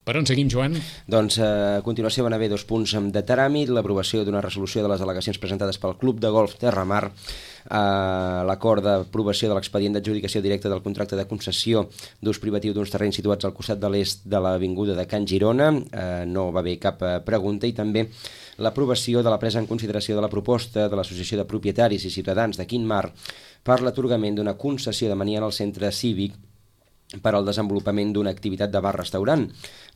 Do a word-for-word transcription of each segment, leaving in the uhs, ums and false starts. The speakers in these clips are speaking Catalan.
Per on seguim, Joan? Doncs a continuació van haver dos punts de tràmit, l'aprovació d'una resolució de les al·legacions presentades pel Club de Golf Terramar, eh, l'acord d'aprovació de l'expedient d'adjudicació directa del contracte de concessió d'ús privatiu d'uns terrenys situats al costat de l'est de l'avinguda de Can Girona, eh, no va haver cap pregunta, i també l'aprovació de la presa en consideració de la proposta de l'Associació de Propietaris i Ciutadans de Quintmar per l'atorgament d'una concessió de mania al centre cívic per al desenvolupament d'una activitat de bar-restaurant.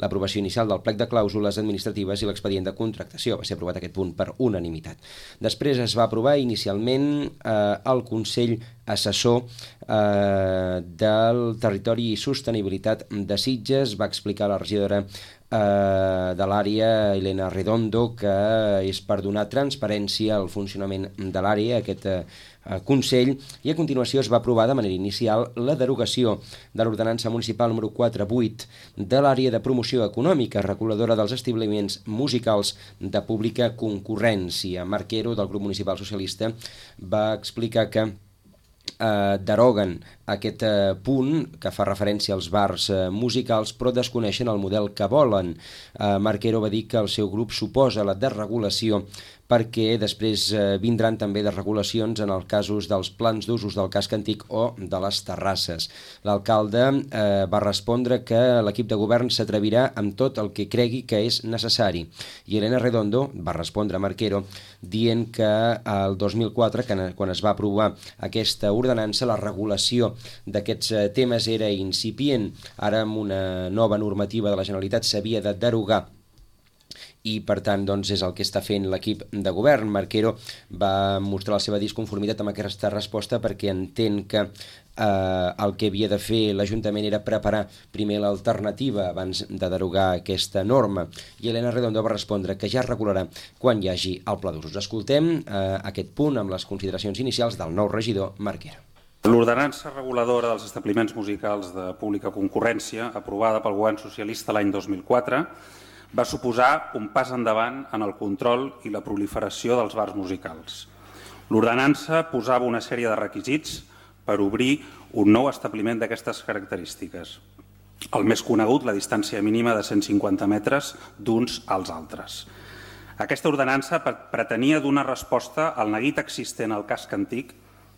L'aprovació inicial del plec de clàusules administratives i l'expedient de contractació va ser aprovat aquest punt per unanimitat. Després es va aprovar inicialment eh, el Consell Assessor eh, del Territori i Sostenibilitat de Sitges. Va explicar la regidora eh, de l'àrea, Elena Redondo, que és per donar transparència al funcionament de l'àrea, aquest eh, Consell, i a continuació es va aprovar de manera inicial la derogació de l'ordenança municipal número quatre vuit de l'àrea de promoció econòmica reguladora dels establiments musicals de pública concurrència. Marquero, del grup municipal socialista, va explicar que eh, deroguen aquest eh, punt que fa referència als bars eh, musicals, però desconeixen el model que volen. Eh, Marquero va dir que el seu grup suposa la desregulació perquè després eh, vindran també desregulacions en els casos dels plans d'usos del casc antic o de les terrasses. L'alcalde eh, va respondre que l'equip de govern s'atrevirà amb tot el que cregui que és necessari. I Elena Redondo va respondre a Marquero dient que el dos mil quatre, que, quan es va aprovar aquesta ordenança, la regulació d'aquests eh, temes era incipient. Ara, amb una nova normativa de la Generalitat, s'havia de derogar i per tant doncs, és el que està fent l'equip de govern. Marquero va mostrar la seva disconformitat amb aquesta resposta perquè entén que eh, el que havia de fer l'Ajuntament era preparar primer l'alternativa abans de derogar aquesta norma, i Elena Redondo va respondre que ja es regularà quan hi hagi el pla d'usos. Escoltem eh, aquest punt amb les consideracions inicials del nou regidor Marquero. L'ordenança reguladora dels establiments musicals de pública concurrència, aprovada pel govern socialista l'any dos mil quatre, va suposar un pas endavant en el control i la proliferació dels bars musicals. L'ordenança posava una sèrie de requisits per obrir un nou establiment d'aquestes característiques. El més conegut, la distància mínima de cent cinquanta metres d'uns als altres. Aquesta ordenança pretenia donar resposta al neguit existent al casc antic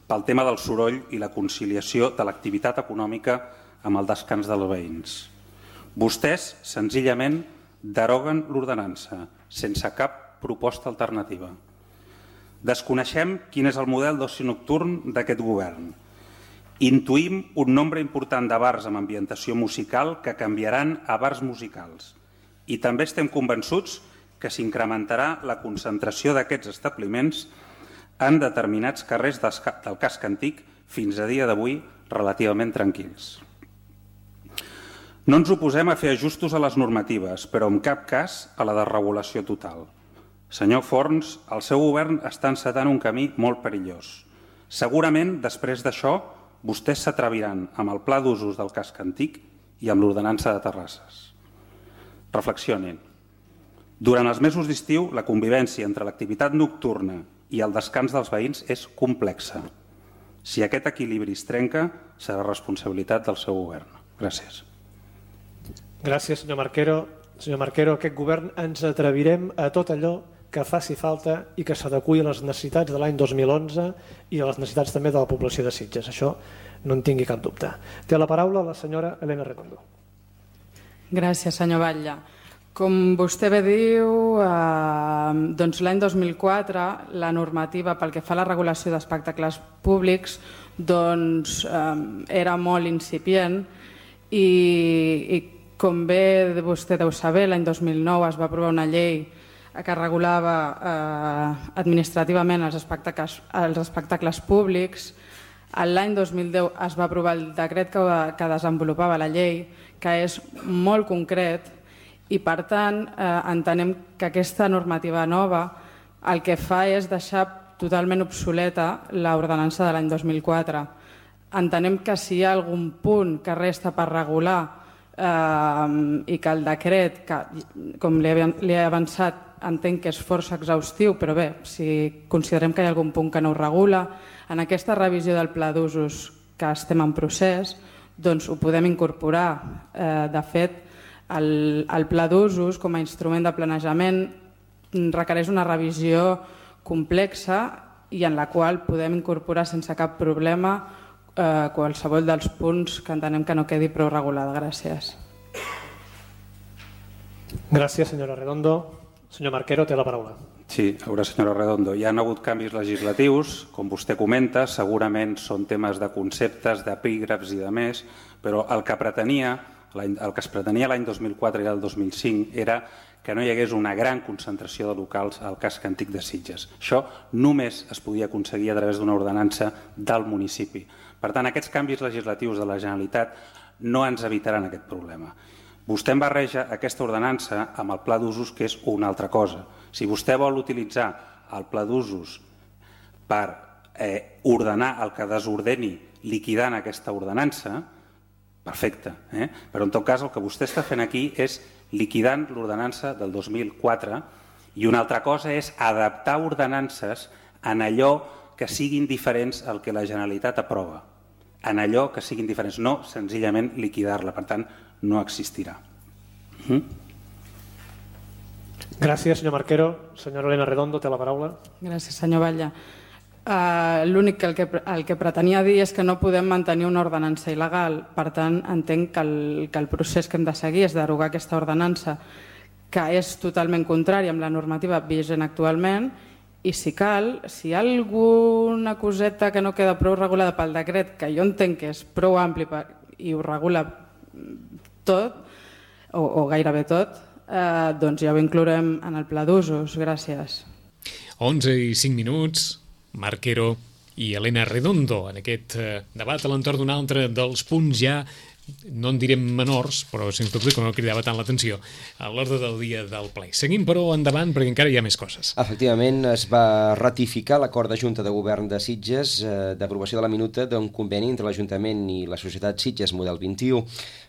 pel tema del soroll i la conciliació de l'activitat econòmica amb el descans dels veïns. Vostès, senzillament, deroguen l'ordenança, sense cap proposta alternativa. Desconeixem quin és el model d'oci nocturn d'aquest govern. Intuïm un nombre important de bars amb ambientació musical que canviaran a bars musicals. I també estem convençuts que s'incrementarà la concentració d'aquests establiments en determinats carrers del casc antic, fins a dia d'avui relativament tranquils. No ens oposem a fer ajustos a les normatives, però en cap cas a la desregulació total. Senyor Forns, el seu govern està encetant un camí molt perillós. Segurament, després d'això, vostès s'atreviran amb el pla d'usos del casc antic i amb l'ordenança de terrasses. Reflexionin. Durant els mesos d'estiu, la convivència entre l'activitat nocturna i el descans dels veïns és complexa. Si aquest equilibri es trenca, serà responsabilitat del seu govern. Gràcies. Gràcies, senyor Marquero. Senyor Marquero, aquest govern ens atrevirem a tot allò que faci falta i que s'adeqüi a les necessitats de l'any dos mil onze i a les necessitats també de la població de Sitges. Això no en tingui cap dubte. Té la paraula la senyora Elena Redondo. Gràcies, senyor Batlle. Com vostè bé diu, eh, doncs l'any dos mil quatre la normativa pel que fa a la regulació d'espectacles públics doncs, eh, era molt incipient i, i com bé vostè deu saber, l'any dos mil nou es va aprovar una llei que regulava eh, administrativament els espectacles, els espectacles públics. L'any dos mil deu es va aprovar el decret que, que desenvolupava la llei, que és molt concret, i per tant eh, entenem que aquesta normativa nova el que fa és deixar totalment obsoleta l'ordenança de l'any dos mil quatre. Entenem que si hi ha algun punt que resta per regular eh, i que el decret, que, com li he, li he avançat, entenc que és força exhaustiu, però bé, si considerem que hi ha algun punt que no ho regula, en aquesta revisió del pla d'usos que estem en procés, doncs ho podem incorporar. Eh, de fet, El, el pla d'usos com a instrument de planejament requereix una revisió complexa i en la qual podem incorporar sense cap problema eh, qualsevol dels punts que entenem que no quedi prou regulada. Gràcies. Gràcies, senyora Redondo. Senyor Marquero, té la paraula. Sí, a veure, senyora Redondo, hi ha hagut canvis legislatius, com vostè comenta, segurament són temes de conceptes, d'epígrafs i de més, però el que pretenia, el que es pretenia l'any dos mil quatre i el dos mil cinc era que no hi hagués una gran concentració de locals al casc antic de Sitges. Això només es podia aconseguir a través d'una ordenança del municipi. Per tant, aquests canvis legislatius de la Generalitat no ens evitaran aquest problema. Vostè em barreja aquesta ordenança amb el pla d'usos, que és una altra cosa. Si vostè vol utilitzar el pla d'usos per eh, ordenar el que desordeni liquidant aquesta ordenança, perfecte. Eh? Però en tot cas el que vostè està fent aquí és liquidant l'ordenança del dos mil quatre i una altra cosa és adaptar ordenances en allò que siguin diferents al que la Generalitat aprova. En allò que siguin diferents, no senzillament liquidar-la. Per tant, no existirà. Mm? Gràcies, senyor Marquero. Senyora Elena Redondo, té la paraula. Gràcies, senyor Batlle. Uh, L'únic que el, que el que pretenia dir és que no podem mantenir una ordenança il·legal. Per tant, entenc que el, que el procés que hem de seguir és derogar aquesta ordenança, que és totalment contrària amb la normativa vigent actualment, i si cal, si hi ha alguna coseta que no queda prou regulada pel decret, que jo entenc que és prou ampli per, i ho regula tot, o, o gairebé tot, eh, doncs ja ho inclourem en el pla d'usos. Gràcies. onze i cinc minuts, Marquero i Elena Redondo en aquest eh, debat a l'entorn d'un altre dels punts ja, no en direm menors, però sens dubte que no cridava tant l'atenció a l'ordre del dia del ple. Seguim, però, endavant, perquè encara hi ha més coses. Efectivament, es va ratificar l'acord de Junta de Govern de Sitges eh, d'aprovació de la minuta d'un conveni entre l'Ajuntament i la Societat Sitges Model vint i u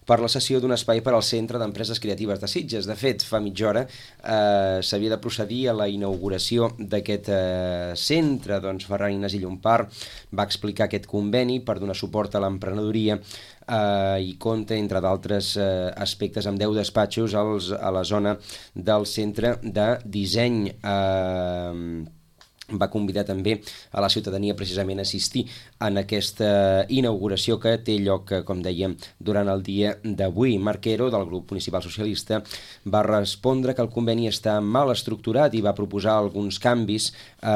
per la cessió d'un espai per al Centre d'Empreses Creatives de Sitges. De fet, fa mitja hora eh, s'havia de procedir a la inauguració d'aquest eh, centre. Doncs Ferran Ignasi Llompart va explicar aquest conveni per donar suport a l'emprenedoria eh, i compta, entre d'altres eh, aspectes, amb deu despatxos als, a la zona del centre de disseny. Eh, va convidar també a la ciutadania precisament a assistir en aquesta inauguració que té lloc, com dèiem, durant el dia d'avui. Marquero, del grup municipal socialista, va respondre que el conveni està mal estructurat i va proposar alguns canvis. Eh,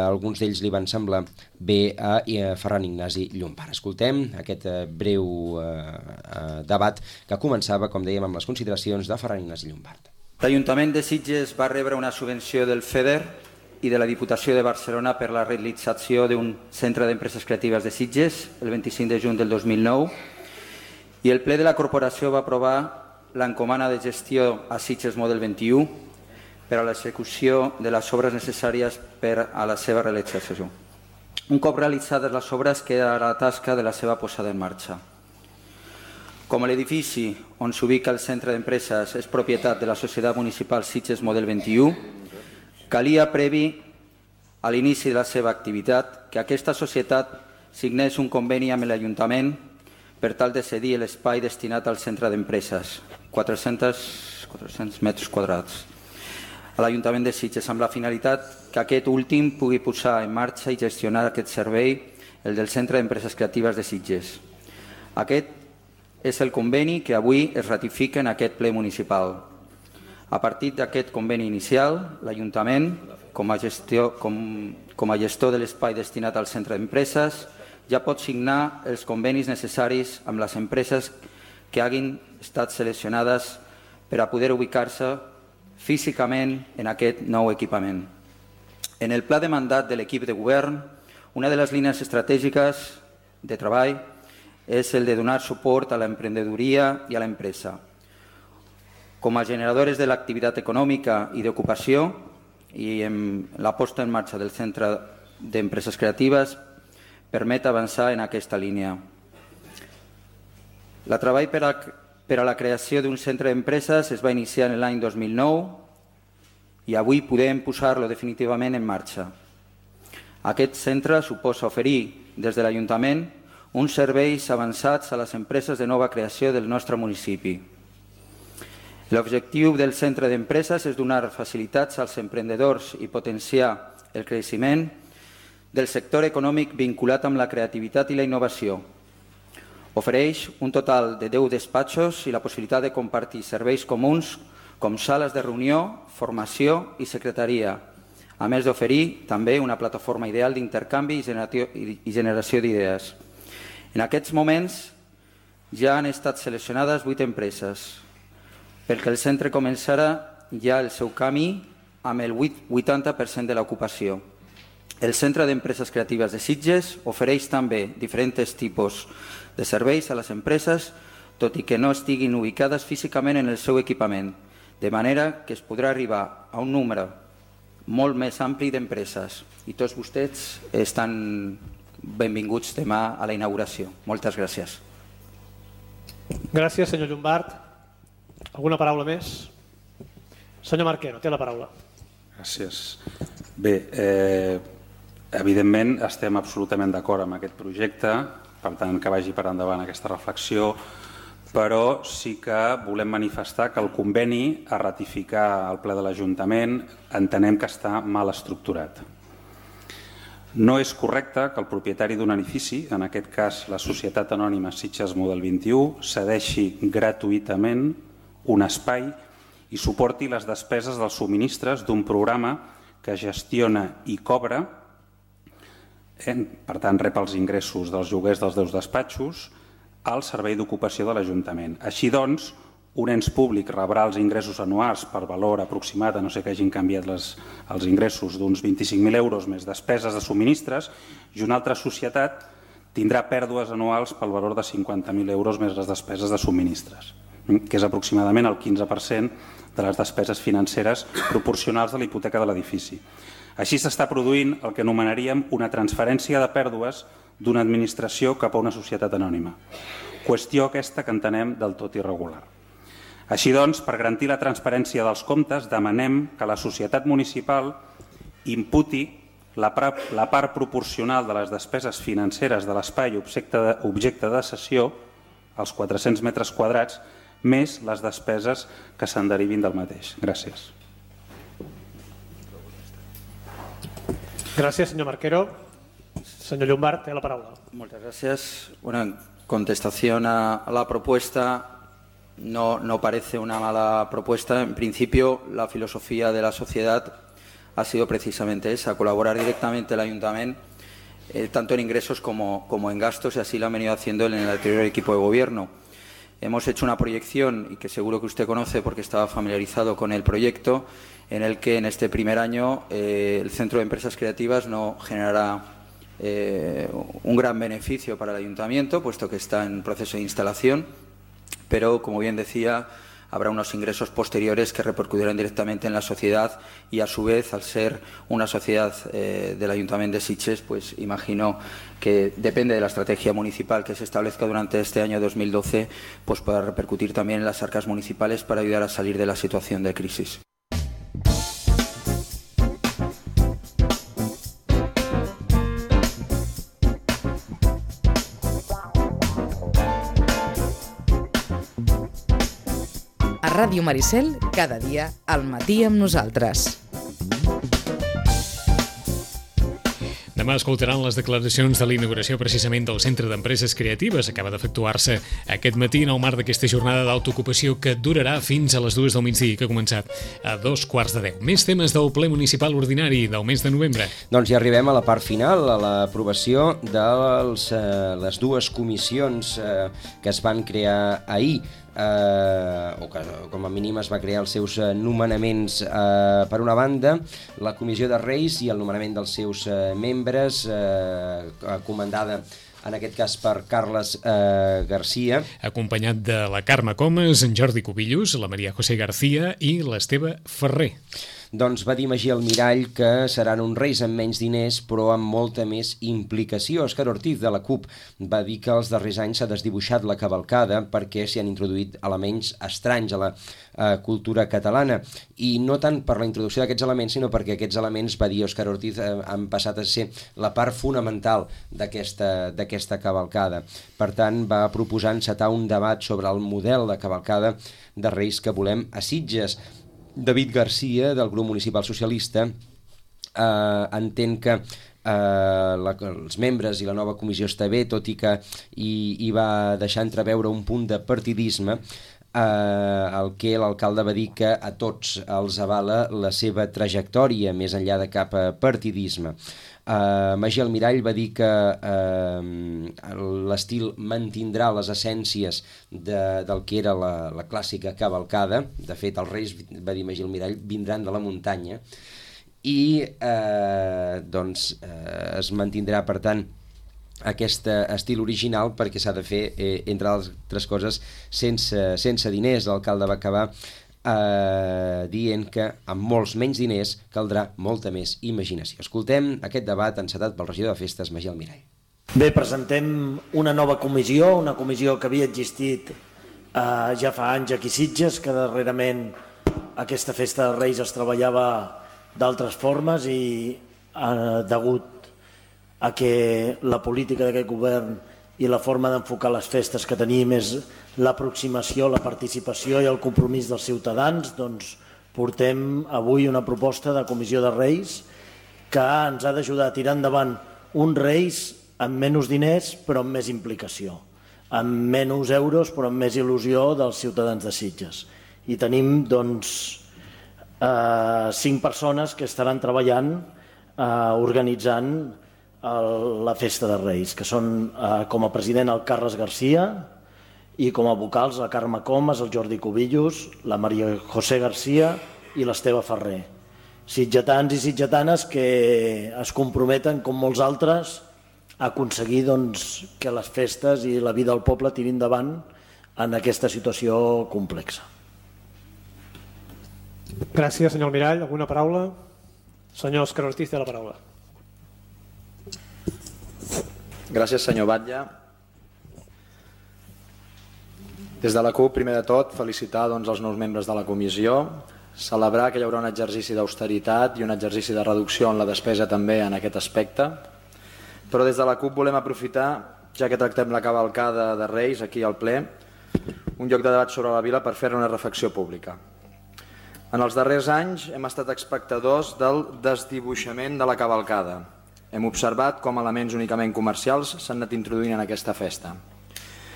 alguns d'ells li van semblar bé a Ferran Ignasi Llompart. Escoltem aquest breu eh, debat que començava, com dèiem, amb les consideracions de Ferran Ignasi Llompart. L'Ajuntament de Sitges va rebre una subvenció del FEDER i de la Diputació de Barcelona per la realització d'un centre d'empreses creatives de Sitges el vint-i-cinc de juny del dos mil nou i el ple de la corporació va aprovar l'encomana de gestió a Sitges Model vint i u per a l'execució de les obres necessàries per a la seva realització. Un cop realitzades les obres queda la tasca de la seva posada en marxa. Com l'edifici on s'ubica el centre d'empreses és propietat de la Societat Municipal Sitges Model vint i u, calia previ a l'inici de la seva activitat que aquesta societat signés un conveni amb l'Ajuntament per tal de cedir l'espai destinat al centre d'empreses, quatre-cents metres quadrats, a l'Ajuntament de Sitges, amb la finalitat que aquest últim pugui posar en marxa i gestionar aquest servei, el del Centre d'Empreses Creatives de Sitges. Aquest és el conveni que avui es ratifica en aquest ple municipal. A partir d'aquest conveni inicial, l'Ajuntament, com a gestor, com, com a gestor de l'espai destinat al centre d'empreses, ja pot signar els convenis necessaris amb les empreses que hagin estat seleccionades per a poder ubicar-se físicament en aquest nou equipament. En el pla de mandat de l'equip de govern, una de les línies estratègiques de treball és el de donar suport a l'emprenedoria i a l'empresa. Com a generadores de l'activitat econòmica i d'ocupació i en la posta en marxa del Centre d'Empreses Creatives permet avançar en aquesta línia. El treball per a, per a la creació d'un centre d'empreses es va iniciar en l'any dos mil nou i avui podem posar-lo definitivament en marxa. Aquest centre suposa oferir des de l'Ajuntament uns serveis avançats a les empreses de nova creació del nostre municipi. L'objectiu del centre d'empreses és donar facilitats als emprenedors i potenciar el creixement del sector econòmic vinculat amb la creativitat i la innovació. Ofereix un total de deu despatxos i la possibilitat de compartir serveis comuns com sales de reunió, formació i secretaria, a més d'oferir també una plataforma ideal d'intercanvi i generació d'idees. En aquests moments ja han estat seleccionades vuit empreses, perquè el centre començarà ja el seu camí amb el vuitanta per cent de l'ocupació. El Centre d'Empreses Creatives de Sitges ofereix també diferents tipus de serveis a les empreses, tot i que no estiguin ubicades físicament en el seu equipament, de manera que es podrà arribar a un número molt més ampli d'empreses. I tots vostès estan benvinguts demà a la inauguració. Moltes gràcies. Gràcies, senyor Llombart. Alguna paraula més? Senyor Marquero, té la paraula. Gràcies. Bé, eh, evidentment estem absolutament d'acord amb aquest projecte, per tant que vagi per endavant aquesta reflexió, però sí que volem manifestar que el conveni a ratificar al ple de l'Ajuntament entenem que està mal estructurat. No és correcte que el propietari d'un edifici, en aquest cas la Societat Anònima Sitges Model vint-i-u, cedeixi gratuïtament un espai i suporti les despeses dels subministres d'un programa que gestiona i cobra, per tant rep els ingressos dels lloguers dels seus despatxos, al servei d'ocupació de l'Ajuntament. Així doncs, un ens públic rebrà els ingressos anuals per valor aproximat, a no ser que hagin canviat les, els ingressos d'uns vint-i-cinc mil euros més despeses de subministres, i una altra societat tindrà pèrdues anuals pel valor de cinquanta mil euros més les despeses de subministres, que és aproximadament el quinze per cent de les despeses financeres proporcionals de la hipoteca de l'edifici. Així s'està produint el que anomenaríem una transferència de pèrdues d'una administració cap a una societat anònima. Qüestió aquesta que entenem del tot irregular. Així doncs, per garantir la transparència dels comptes, demanem que la societat municipal imputi la part proporcional de les despeses financeres de l'espai objecte de cessió, els quatre-cents metres quadrats, més les despeses que se'n derivin del mateix. Gràcies. Gràcies, senyor Marquero. Señor Llombart, té la paraula. Muchas gracias. Bueno, en contestación a, a la propuesta, no, no parece una mala propuesta. En principio, la filosofía de la sociedad ha sido precisamente esa, colaborar directamente el Ayuntamiento, eh, tanto en ingresos como, como en gastos, y así lo han venido haciendo en el anterior equipo de gobierno. Hemos hecho una proyección, y que seguro que usted conoce porque estaba familiarizado con el proyecto, en el que en este primer año eh, el Centro de Empresas Creativas no generará Eh, un gran beneficio para el Ayuntamiento, puesto que está en proceso de instalación, pero, como bien decía, habrá unos ingresos posteriores que repercutirán directamente en la sociedad y, a su vez, al ser una sociedad eh, del Ayuntamiento de Sitges, pues imagino que depende de la estrategia municipal que se establezca durante este año dos mil doce, pues pueda repercutir también en las arcas municipales para ayudar a salir de la situación de crisis. Ràdio Maricel, cada dia al matí amb nosaltres. Demà escoltaran les declaracions de la inauguració precisament del Centre d'Empreses Creatives. Acaba d'efectuar-se aquest matí en el marc d'aquesta jornada d'autoocupació que durarà fins a les dues del migdia, que ha començat a dos quarts de deu. Més temes del ple municipal ordinari del mes de novembre. Doncs ja arribem a la part final, a l'aprovació de les, eh, les dues comissions eh, que es van crear ahir. Eh, o que com a mínim es va crear els seus eh, nomenaments. Eh, per una banda, la Comissió de Reis i el nomenament dels seus eh, membres, eh, comandada en aquest cas per Carles eh, Garcia. Acompanyat de la Carme Comas, en Jordi Cubillos, la Maria José García i l'Esteve Ferrer. Doncs va dir Magí Almirall que seran uns Reis amb menys diners però amb molta més implicació. Òscar Ortiz de la CUP va dir que els darrers anys s'ha desdibuixat la cavalcada perquè s'hi han introduït elements estranys a la eh, cultura catalana, i no tant per la introducció d'aquests elements sinó perquè aquests elements, va dir Òscar Ortiz, eh, han passat a ser la part fonamental d'aquesta d'aquesta cavalcada. Per tant, va proposar encetar un debat sobre el model de cavalcada de Reis que volem a Sitges. David Garcia, del grup municipal socialista, eh, entén que eh, la, els membres i la nova comissió està bé, tot i que hi, hi va deixar entreveure un punt de partidisme, eh, el que l'alcalde va dir que a tots els avala la seva trajectòria, més enllà de cap partidisme. Uh, Magí Almirall va dir que uh, l'estil mantindrà les essències de, del que era la, la clàssica cavalcada. De fet, els Reis, va dir Magí Almirall, vindran de la muntanya i uh, doncs, uh, es mantindrà, per tant, aquest estil original perquè s'ha de fer, eh, entre altres coses, sense, sense diners. L'alcalde va acabar Eh, dient que amb molts menys diners caldrà molta més imaginació. Escoltem aquest debat encetat pel regidor de Festes, Magí Almirall. Bé, presentem una nova comissió, una comissió que havia existit eh, ja fa anys aquí a Sitges, que darrerament aquesta festa de Reis es treballava d'altres formes i eh, degut a que la política d'aquest govern i la forma d'enfocar les festes que tenim és l'aproximació, la participació i el compromís dels ciutadans, doncs portem avui una proposta de comissió de Reis que ens ha d'ajudar a tirar endavant uns Reis amb menys diners però amb més implicació, amb menys euros però amb més il·lusió dels ciutadans de Sitges. I tenim doncs eh, cinc persones que estaran treballant, eh, organitzant el, la festa de Reis, que són eh, com a president el Carles Garcia i com a vocals la Carme Comas, el Jordi Cubillos, la Maria José Garcia i l'Esteve Ferrer. Sitgetans i sitgetanes que es comprometen, com molts altres, a aconseguir doncs, que les festes i la vida del poble tirin endavant en aquesta situació complexa. Gràcies, senyor Almirall. Alguna paraula? Senyor Òscar Ortiz té la paraula. Gràcies, senyor Batlle. Des de la CUP, primer de tot, felicitar doncs, els nous membres de la comissió, celebrar que hi haurà un exercici d'austeritat i un exercici de reducció en la despesa també en aquest aspecte, però des de la CUP volem aprofitar, ja que tractem la cavalcada de Reis aquí al ple, un lloc de debat sobre la vila per fer una reflexió pública. En els darrers anys hem estat espectadors del desdibuixament de la cavalcada. Hem observat com elements únicament comercials s'han anat introduint en aquesta festa.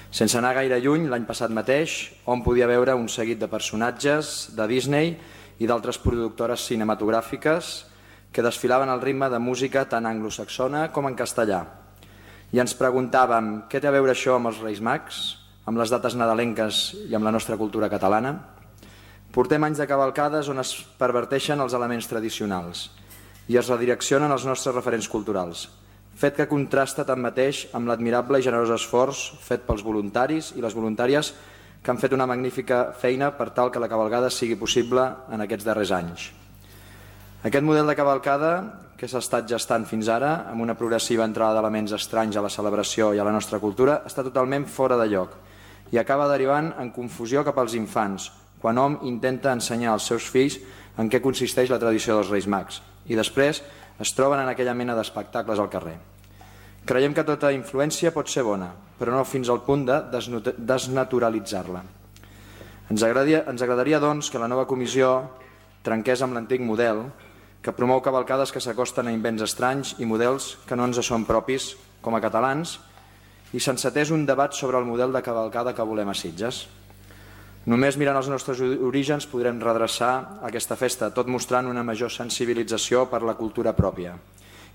Sense anar gaire lluny, l'any passat mateix, on podia veure un seguit de personatges de Disney i d'altres productores cinematogràfiques que desfilaven al ritme de música tant anglosaxona com en castellà. I ens preguntàvem què té a veure això amb els Reis Mags, amb les dates nadalenques i amb la nostra cultura catalana? Portem anys de cavalcades on es perverteixen els elements tradicionals i es redireccionen els nostres referents culturals, fet que contrasta tanmateix amb l'admirable i generós esforç fet pels voluntaris i les voluntàries que han fet una magnífica feina per tal que la cavalcada sigui possible en aquests darrers anys. Aquest model de cavalcada que s'ha estat gestant fins ara, amb una progressiva entrada d'elements estranys a la celebració i a la nostra cultura, està totalment fora de lloc i acaba derivant en confusió cap als infants, quan hom intenta ensenyar als seus fills en què consisteix la tradició dels Reis Mags i després es troben en aquella mena d'espectacles al carrer. Creiem que tota influència pot ser bona, però no fins al punt de desnaturalitzar-la. Ens agradaria, ens agradaria doncs, que la nova comissió trenqués amb l'antic model que promou cavalcades que s'acosten a invents estranys i models que no ens són propis com a catalans i s'encetés un debat sobre el model de cavalcada que volem a Sitges. Només mirant els nostres orígens podrem redreçar aquesta festa, tot mostrant una major sensibilització per la cultura pròpia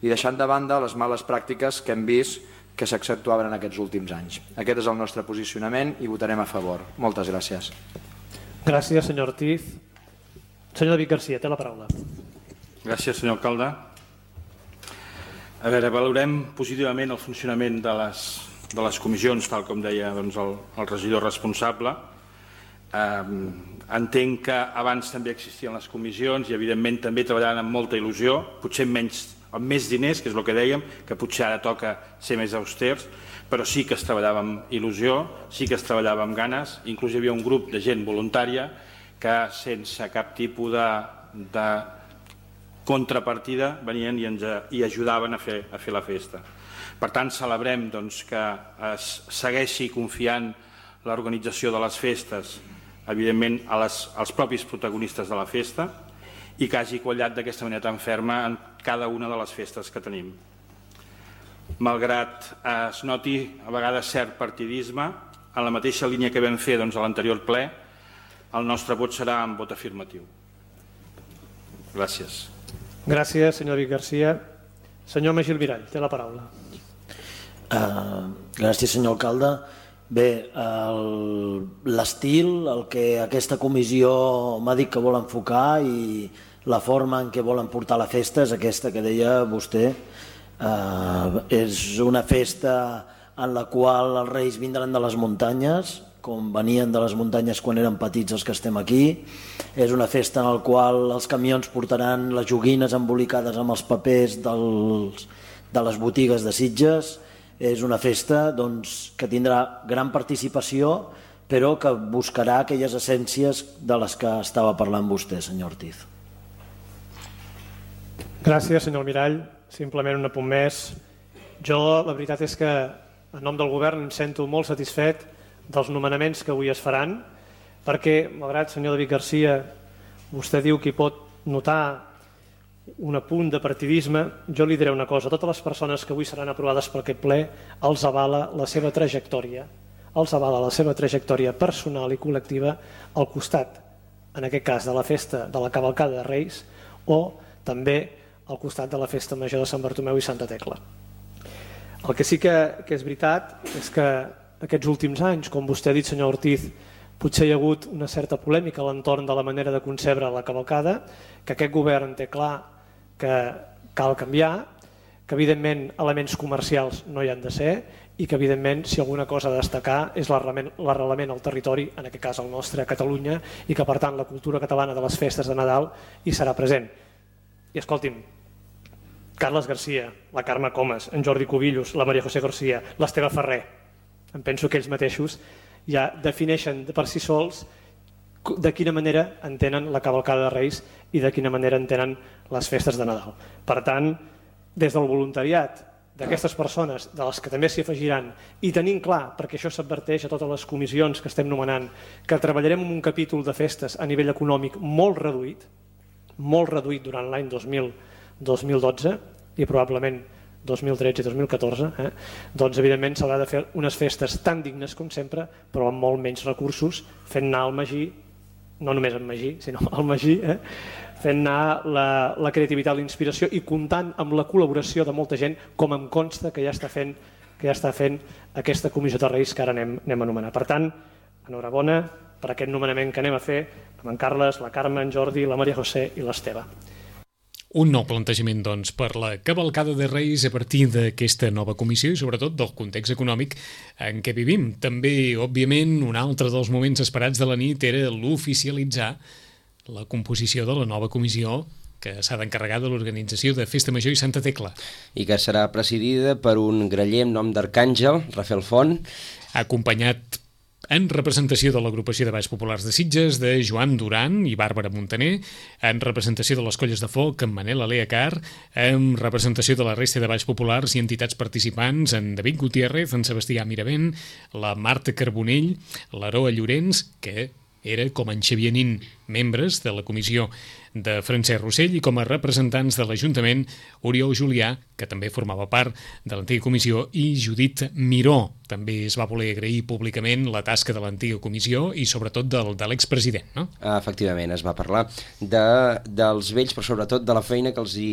i deixant de banda les males pràctiques que hem vist que s'accentuaven en aquests últims anys. Aquest és el nostre posicionament i votarem a favor. Moltes gràcies. Gràcies, senyor Ortiz. Senyor David Garcia, té la paraula. Gràcies, senyor alcalde. A veure, valorem positivament el funcionament de les, de les comissions, tal com deia doncs, el, el regidor responsable. Entenc que abans també existien les comissions i evidentment també treballaven amb molta il·lusió, potser amb menys, amb més diners, que és el que dèiem, que potser ara toca ser més austers, però sí que es treballava amb il·lusió, sí que es treballava amb ganes, inclús hi havia un grup de gent voluntària que sense cap tipus de, de contrapartida venien i ens i ajudaven a fer, a fer la festa. Per tant, celebrem doncs, que es segueixi confiant l'organització de les festes, evidentment, a les, als propis protagonistes de la festa i que hagi quallat d'aquesta manera tan ferma en cada una de les festes que tenim. Malgrat es noti a vegades cert partidisme, en la mateixa línia que vam fer doncs, a l'anterior ple, el nostre vot serà en vot afirmatiu. Gràcies. Gràcies, senyor Vic Garcia. Senyor Magí Almirall, té la paraula. Uh, gràcies, senyor alcalde. Bé, l'estil, el que aquesta comissió m'ha dit que vol enfocar i la forma en què volen portar la festa és aquesta que deia vostè. Uh, és una festa en la qual els reis vindran de les muntanyes, com venien de les muntanyes quan eren petits els que estem aquí. És una festa en la qual els camions portaran les joguines embolicades amb els papers dels, de les botigues de Sitges. És una festa doncs, que tindrà gran participació, però que buscarà aquelles essències de les que estava parlant vostè, senyor Ortiz. Gràcies, senyor Almirall. Simplement un apunt més. Jo, la veritat és que, en nom del govern, em sento molt satisfet dels nomenaments que avui es faran, perquè, malgrat, senyor David Garcia, vostè diu que hi pot notar un apunt de partidisme, jo li diré una cosa: totes les persones que avui seran aprovades per aquest ple els avala la seva trajectòria, els avala la seva trajectòria personal i col·lectiva al costat, en aquest cas, de la festa de la cavalcada de Reis o també al costat de la festa major de Sant Bartomeu i Santa Tecla. El que sí que, que és veritat és que aquests últims anys, com vostè ha dit, senyor Ortiz, potser hi ha hagut una certa polèmica a l'entorn de la manera de concebre la cavalcada, que aquest govern té clar que cal canviar, que evidentment elements comercials no hi han de ser i que evidentment si alguna cosa a destacar és l'arrelament al territori, en aquest cas el nostre, a Catalunya, i que per tant la cultura catalana de les festes de Nadal hi serà present. I escolti'm, Carles Garcia, la Carme Comas, en Jordi Cubillos, la Maria José Garcia, l'Esteve Ferrer, em penso que ells mateixos ja defineixen per si sols de quina manera entenen la cavalcada de Reis i de quina manera entenen les festes de Nadal. Per tant, des del voluntariat d'aquestes persones, de les que també s'hi afegiran, i tenint clar, perquè això s'adverteix a totes les comissions que estem nomenant, que treballarem en un capítol de festes a nivell econòmic molt reduït, molt reduït durant l'any dos mil dotze i probablement dos mil tretze i dos mil catorze, eh? doncs evidentment s'haurà de fer unes festes tan dignes com sempre, però amb molt menys recursos, fent anar el Magí, no només en Magí, sinó el Magí, eh? fent anar la, la creativitat, la inspiració i comptant amb la col·laboració de molta gent, com em consta que ja està fent, que ja està fent aquesta comissió de Reis que ara anem, anem a anomenar. Per tant, enhorabona per aquest nomenament que anem a fer amb en Carles, la Carme, en Jordi, la Maria José i l'Esteve. Un nou plantejament, doncs, per la cavalcada de Reis a partir d'aquesta nova comissió i sobretot del context econòmic en què vivim. També, òbviament, un altre dels moments esperats de la nit era l'oficialitzar la composició de la nova comissió que s'ha d'encarregar de l'organització de Festa Major i Santa Tecla. I que serà presidida per un graller amb nom d'Arcàngel, Rafael Font, acompanyat en representació de l'agrupació de balls populars de Sitges, de Joan Duran i Bàrbara Montaner, en representació de les colles de foc, en Manel Aleacar, en representació de la resta de balls populars i entitats participants, en David Gutiérrez, en Sebastià Miravent, la Marta Carbonell, l'Aroa Llorenç, que era com en Xavier Nin, membres de la comissió de Francesc Rossell, i com a representants de l'Ajuntament, Oriol Julià, que també formava part de l'antiga comissió, i Judit Miró. També es va voler agrair públicament la tasca de l'antiga comissió i sobretot del, de l'expresident, no? Efectivament, es va parlar de, dels vells, però sobretot de la feina que els hi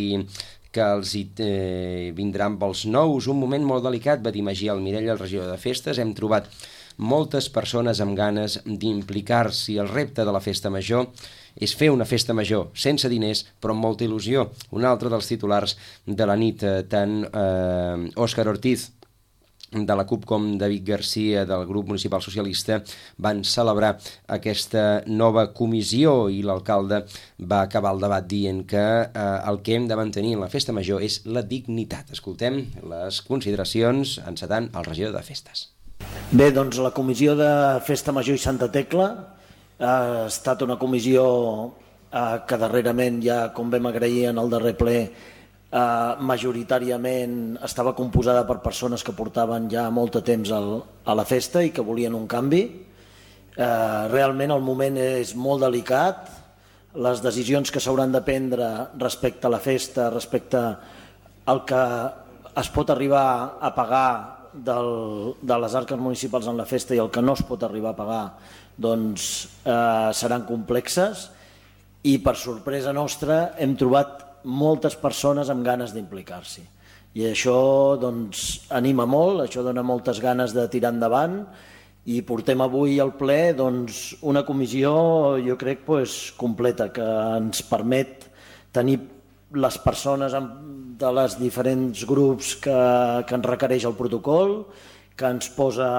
que els hi eh, vindran pels nous. Un moment molt delicat, va dir Magí Almirall, el regidor de festes. Hem trobat moltes persones amb ganes d'implicar-s'hi. El repte de la festa major és fer una festa major sense diners però amb molta il·lusió. Un altre dels titulars de la nit, tant eh, Òscar Ortiz de la CUP com David Garcia del grup municipal socialista van celebrar aquesta nova comissió i l'alcalde va acabar el debat dient que eh, el que hem de mantenir en la festa major és la dignitat. Escoltem les consideracions encetant el regidor de Festes. Bé, doncs la comissió de Festa Major i Santa Tecla ha estat una comissió eh, que darrerament ja, com vam agrair en el darrer ple, Uh, majoritàriament estava composada per persones que portaven ja molt de temps al, a la festa i que volien un canvi. Uh, realment el moment és molt delicat, les decisions que s'hauran de prendre respecte a la festa, respecte al que es pot arribar a pagar del, de les arques municipals en la festa i el que no es pot arribar a pagar, doncs uh, seran complexes i per sorpresa nostra hem trobat moltes persones amb ganes d'implicar-s'hi. I això doncs, anima molt, això dona moltes ganes de tirar endavant i portem avui al ple doncs, una comissió, jo crec, pues, completa, que ens permet tenir les persones de les diferents grups que, que ens requereix el protocol, que ens posa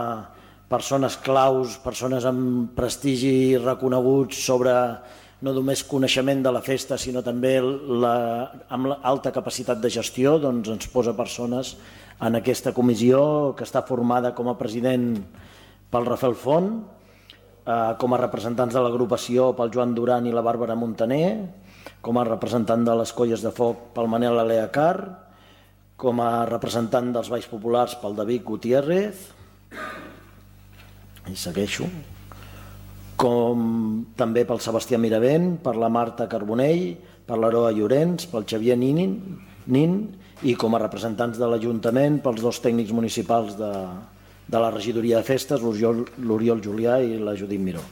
persones claus, persones amb prestigi reconeguts sobre no només coneixement de la festa, sinó també la, amb l'alta capacitat de gestió, doncs ens posa persones en aquesta comissió que està formada com a president pel Rafael Font, eh, com a representants de l'agrupació pel Joan Duran i la Bàrbara Montaner, com a representant de les Colles de Foc pel Manel Aleacar, com a representant dels Balls Populars pel David Gutiérrez, i segueixo, com també pel Sebastià Miravent, per la Marta Carbonell, per l'Aroa Llorenç, pel Xavier Nin, Nin i com a representants de l'Ajuntament pels dos tècnics municipals de, de la regidoria de festes, l'Oriol Julià i la Judit Miró.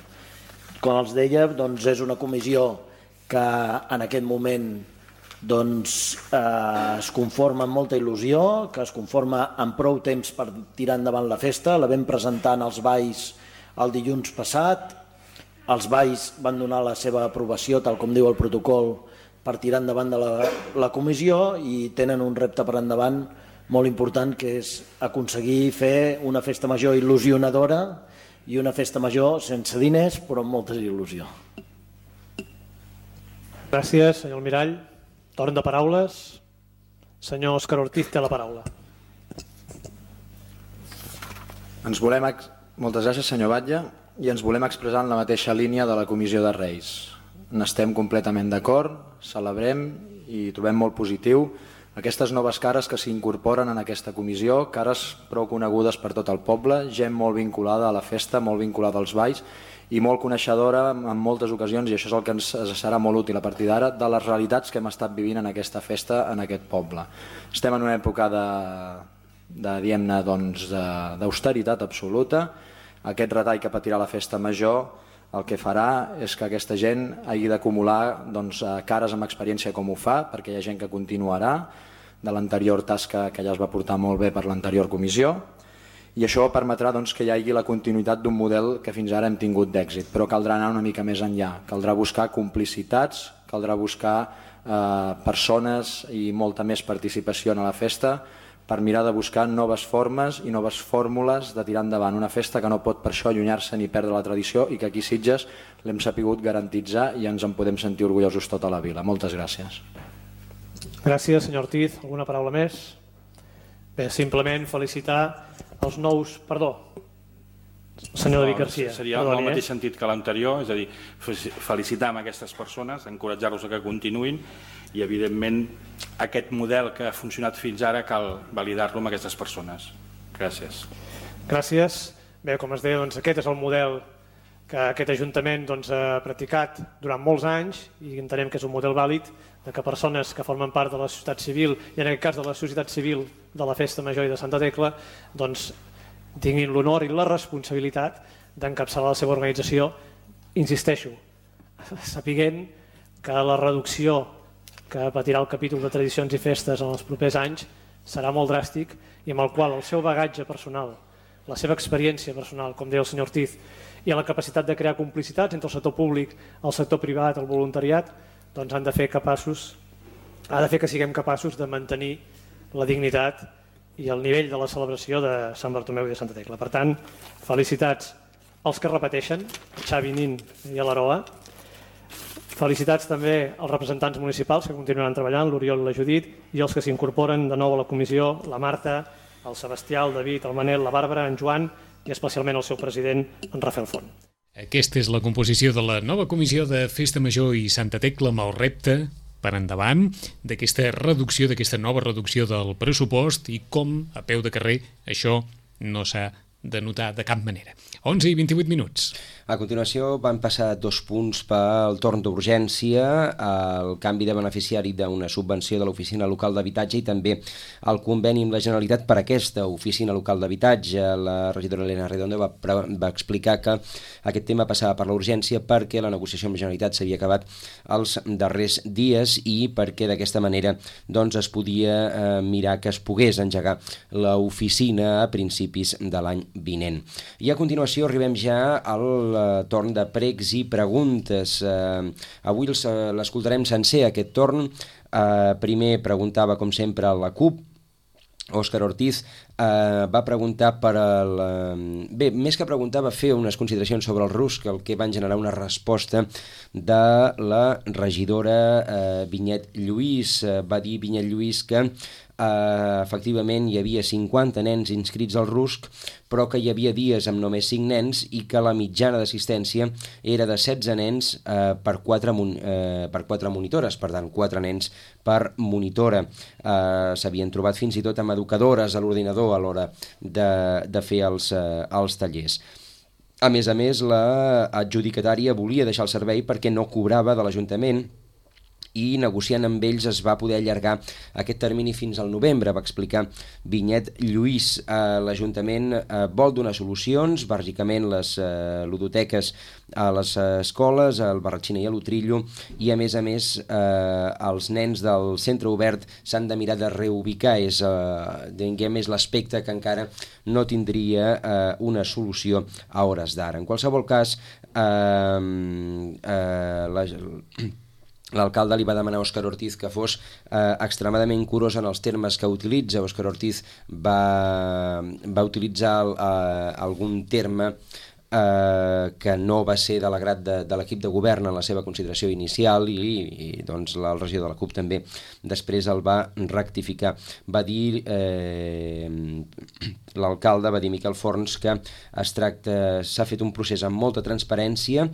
Com els deia, doncs és una comissió que en aquest moment doncs, eh, es conforma amb molta il·lusió, que es conforma amb prou temps per tirar endavant la festa. La vam presentar als balls el dilluns passat. Els balls van donar la seva aprovació, tal com diu el protocol, per tirar endavant de la, la comissió i tenen un repte per endavant molt important, que és aconseguir fer una festa major il·lusionadora i una festa major sense diners, però amb molta il·lusió. Gràcies, senyor Almirall. Torn de paraules. Senyor Òscar Ortiz té la paraula. Ens volem... Moltes gràcies, senyor Batlle. I ens volem expressar en la mateixa línia de la Comissió de Reis. N'estem completament d'acord, celebrem i trobem molt positiu aquestes noves cares que s'incorporen en aquesta comissió, cares prou conegudes per tot el poble, gent molt vinculada a la festa, molt vinculada als balls i molt coneixedora en moltes ocasions, i això és el que ens serà molt útil a partir d'ara, de les realitats que hem estat vivint en aquesta festa, en aquest poble. Estem en una època de, de diguem-ne, doncs, d'austeritat absoluta. Aquest retall que patirà la festa major el que farà és que aquesta gent hagi d'acumular doncs, cares amb experiència com ho fa, perquè hi ha gent que continuarà de l'anterior tasca que ja es va portar molt bé per l'anterior comissió, i això permetrà doncs, que hi hagi la continuïtat d'un model que fins ara hem tingut d'èxit, però caldrà anar una mica més enllà, caldrà buscar complicitats, caldrà buscar eh, persones i molta més participació en la festa, per mirar de buscar noves formes i noves fórmules de tirar endavant una festa que no pot per això allunyar-se ni perdre la tradició i que aquí a Sitges l'hem sapigut garantitzar i ens en podem sentir orgullosos tota la vila. Moltes gràcies. Gràcies, senyor Ortiz. Alguna paraula més? Bé, simplement felicitar els nous... Perdó, senyor David Garcia. Seria en el mateix sentit que l'anterior, és a dir, felicitar amb aquestes persones, encoratjar-los a que continuïn i, evidentment, aquest model que ha funcionat fins ara cal validar-lo amb aquestes persones. Gràcies. Gràcies. Bé, com es deia, doncs, aquest és el model que aquest Ajuntament doncs, ha practicat durant molts anys i entenem que és un model vàlid de que persones que formen part de la societat civil, i en aquest cas de la societat civil de la Festa Major i de Santa Tecla, doncs, tinguin l'honor i la responsabilitat d'encapçalar la seva organització, insisteixo, sapiguent que la reducció que patirà el capítol de tradicions i festes en els propers anys serà molt dràstic i amb el qual el seu bagatge personal, la seva experiència personal, com deia el senyor Ortiz, i la capacitat de crear complicitats entre el sector públic, el sector privat, el voluntariat, doncs han de fer capaços, ha de fer que siguem capaços de mantenir la dignitat i el nivell de la celebració de Sant Bartomeu i de Santa Tecla. Per tant, felicitats als que repeteixen, Xavi Nin i a l'Aroa. Felicitats també als representants municipals que continuaran treballant, l'Oriol i la Judit, i els que s'incorporen de nou a la comissió, la Marta, el Sebastià, el David, el Manel, la Bàrbara, en Joan i especialment el seu president, en Rafael Font. Aquesta és la composició de la nova comissió de Festa Major i Santa Tecla amb el repte per endavant d'aquesta reducció, d'aquesta nova reducció del pressupost i com, a peu de carrer, això no s'ha de notar de cap manera. onze i vint-i-vuit minuts. A continuació van passar dos punts pel torn d'urgència, el canvi de beneficiari d'una subvenció de l'Oficina Local d'Habitatge i també el conveni amb la Generalitat per aquesta Oficina Local d'Habitatge. La regidora Elena Redondo va, va explicar que aquest tema passava per l'urgència perquè la negociació amb la Generalitat s'havia acabat els darrers dies i perquè d'aquesta manera doncs, es podia eh, mirar que es pogués engegar l'oficina a principis de l'any vinent. I a continuació arribem ja al torn de pregs i preguntes. Eh, avui l'escoltarem sencer, aquest torn. Eh, primer preguntava, com sempre, a la CUP. Òscar Ortiz eh, va preguntar per el... Bé, més que preguntar, va fer unes consideracions sobre el RUSC, el que van generar una resposta de la regidora eh, Vinyet Lluís. Eh, va dir Vinyet Lluís que Uh, efectivament hi havia cinquanta nens inscrits al RUSC, però que hi havia dies amb només cinc nens i que la mitjana d'assistència era de setze nens uh, per, quatre mon uh, per quatre monitores, per tant quatre nens per monitora. Uh, s'havien trobat fins i tot amb educadores a l'ordinador a l'hora de, de fer els, uh, els tallers. A més a més, la adjudicatària volia deixar el servei perquè no cobrava de l'Ajuntament i negociant amb ells es va poder allargar aquest termini fins al novembre, va explicar Vinyet Lluís. Eh, L'Ajuntament eh, vol donar solucions, bàsicament les eh, ludoteques a les escoles, al Barratxina i a l'Utrillo, i a més a més eh, els nens del centre obert s'han de mirar de reubicar, és, eh, diguem, és l'aspecte que encara no tindria eh, una solució a hores d'ara. En qualsevol cas, eh, eh, la... l'alcalde li va demanar a Òscar Ortiz que fos eh, extremadament curós en els termes que utilitza. Òscar Ortiz va, va utilitzar eh, algun terme eh, que no va ser de l'agrat de, de l'equip de govern en la seva consideració inicial i, i doncs el regidor de la CUP també després el va rectificar. Va dir eh, l'alcalde, va dir Miquel Forns, que es tracta, s'ha fet un procés amb molta transparència,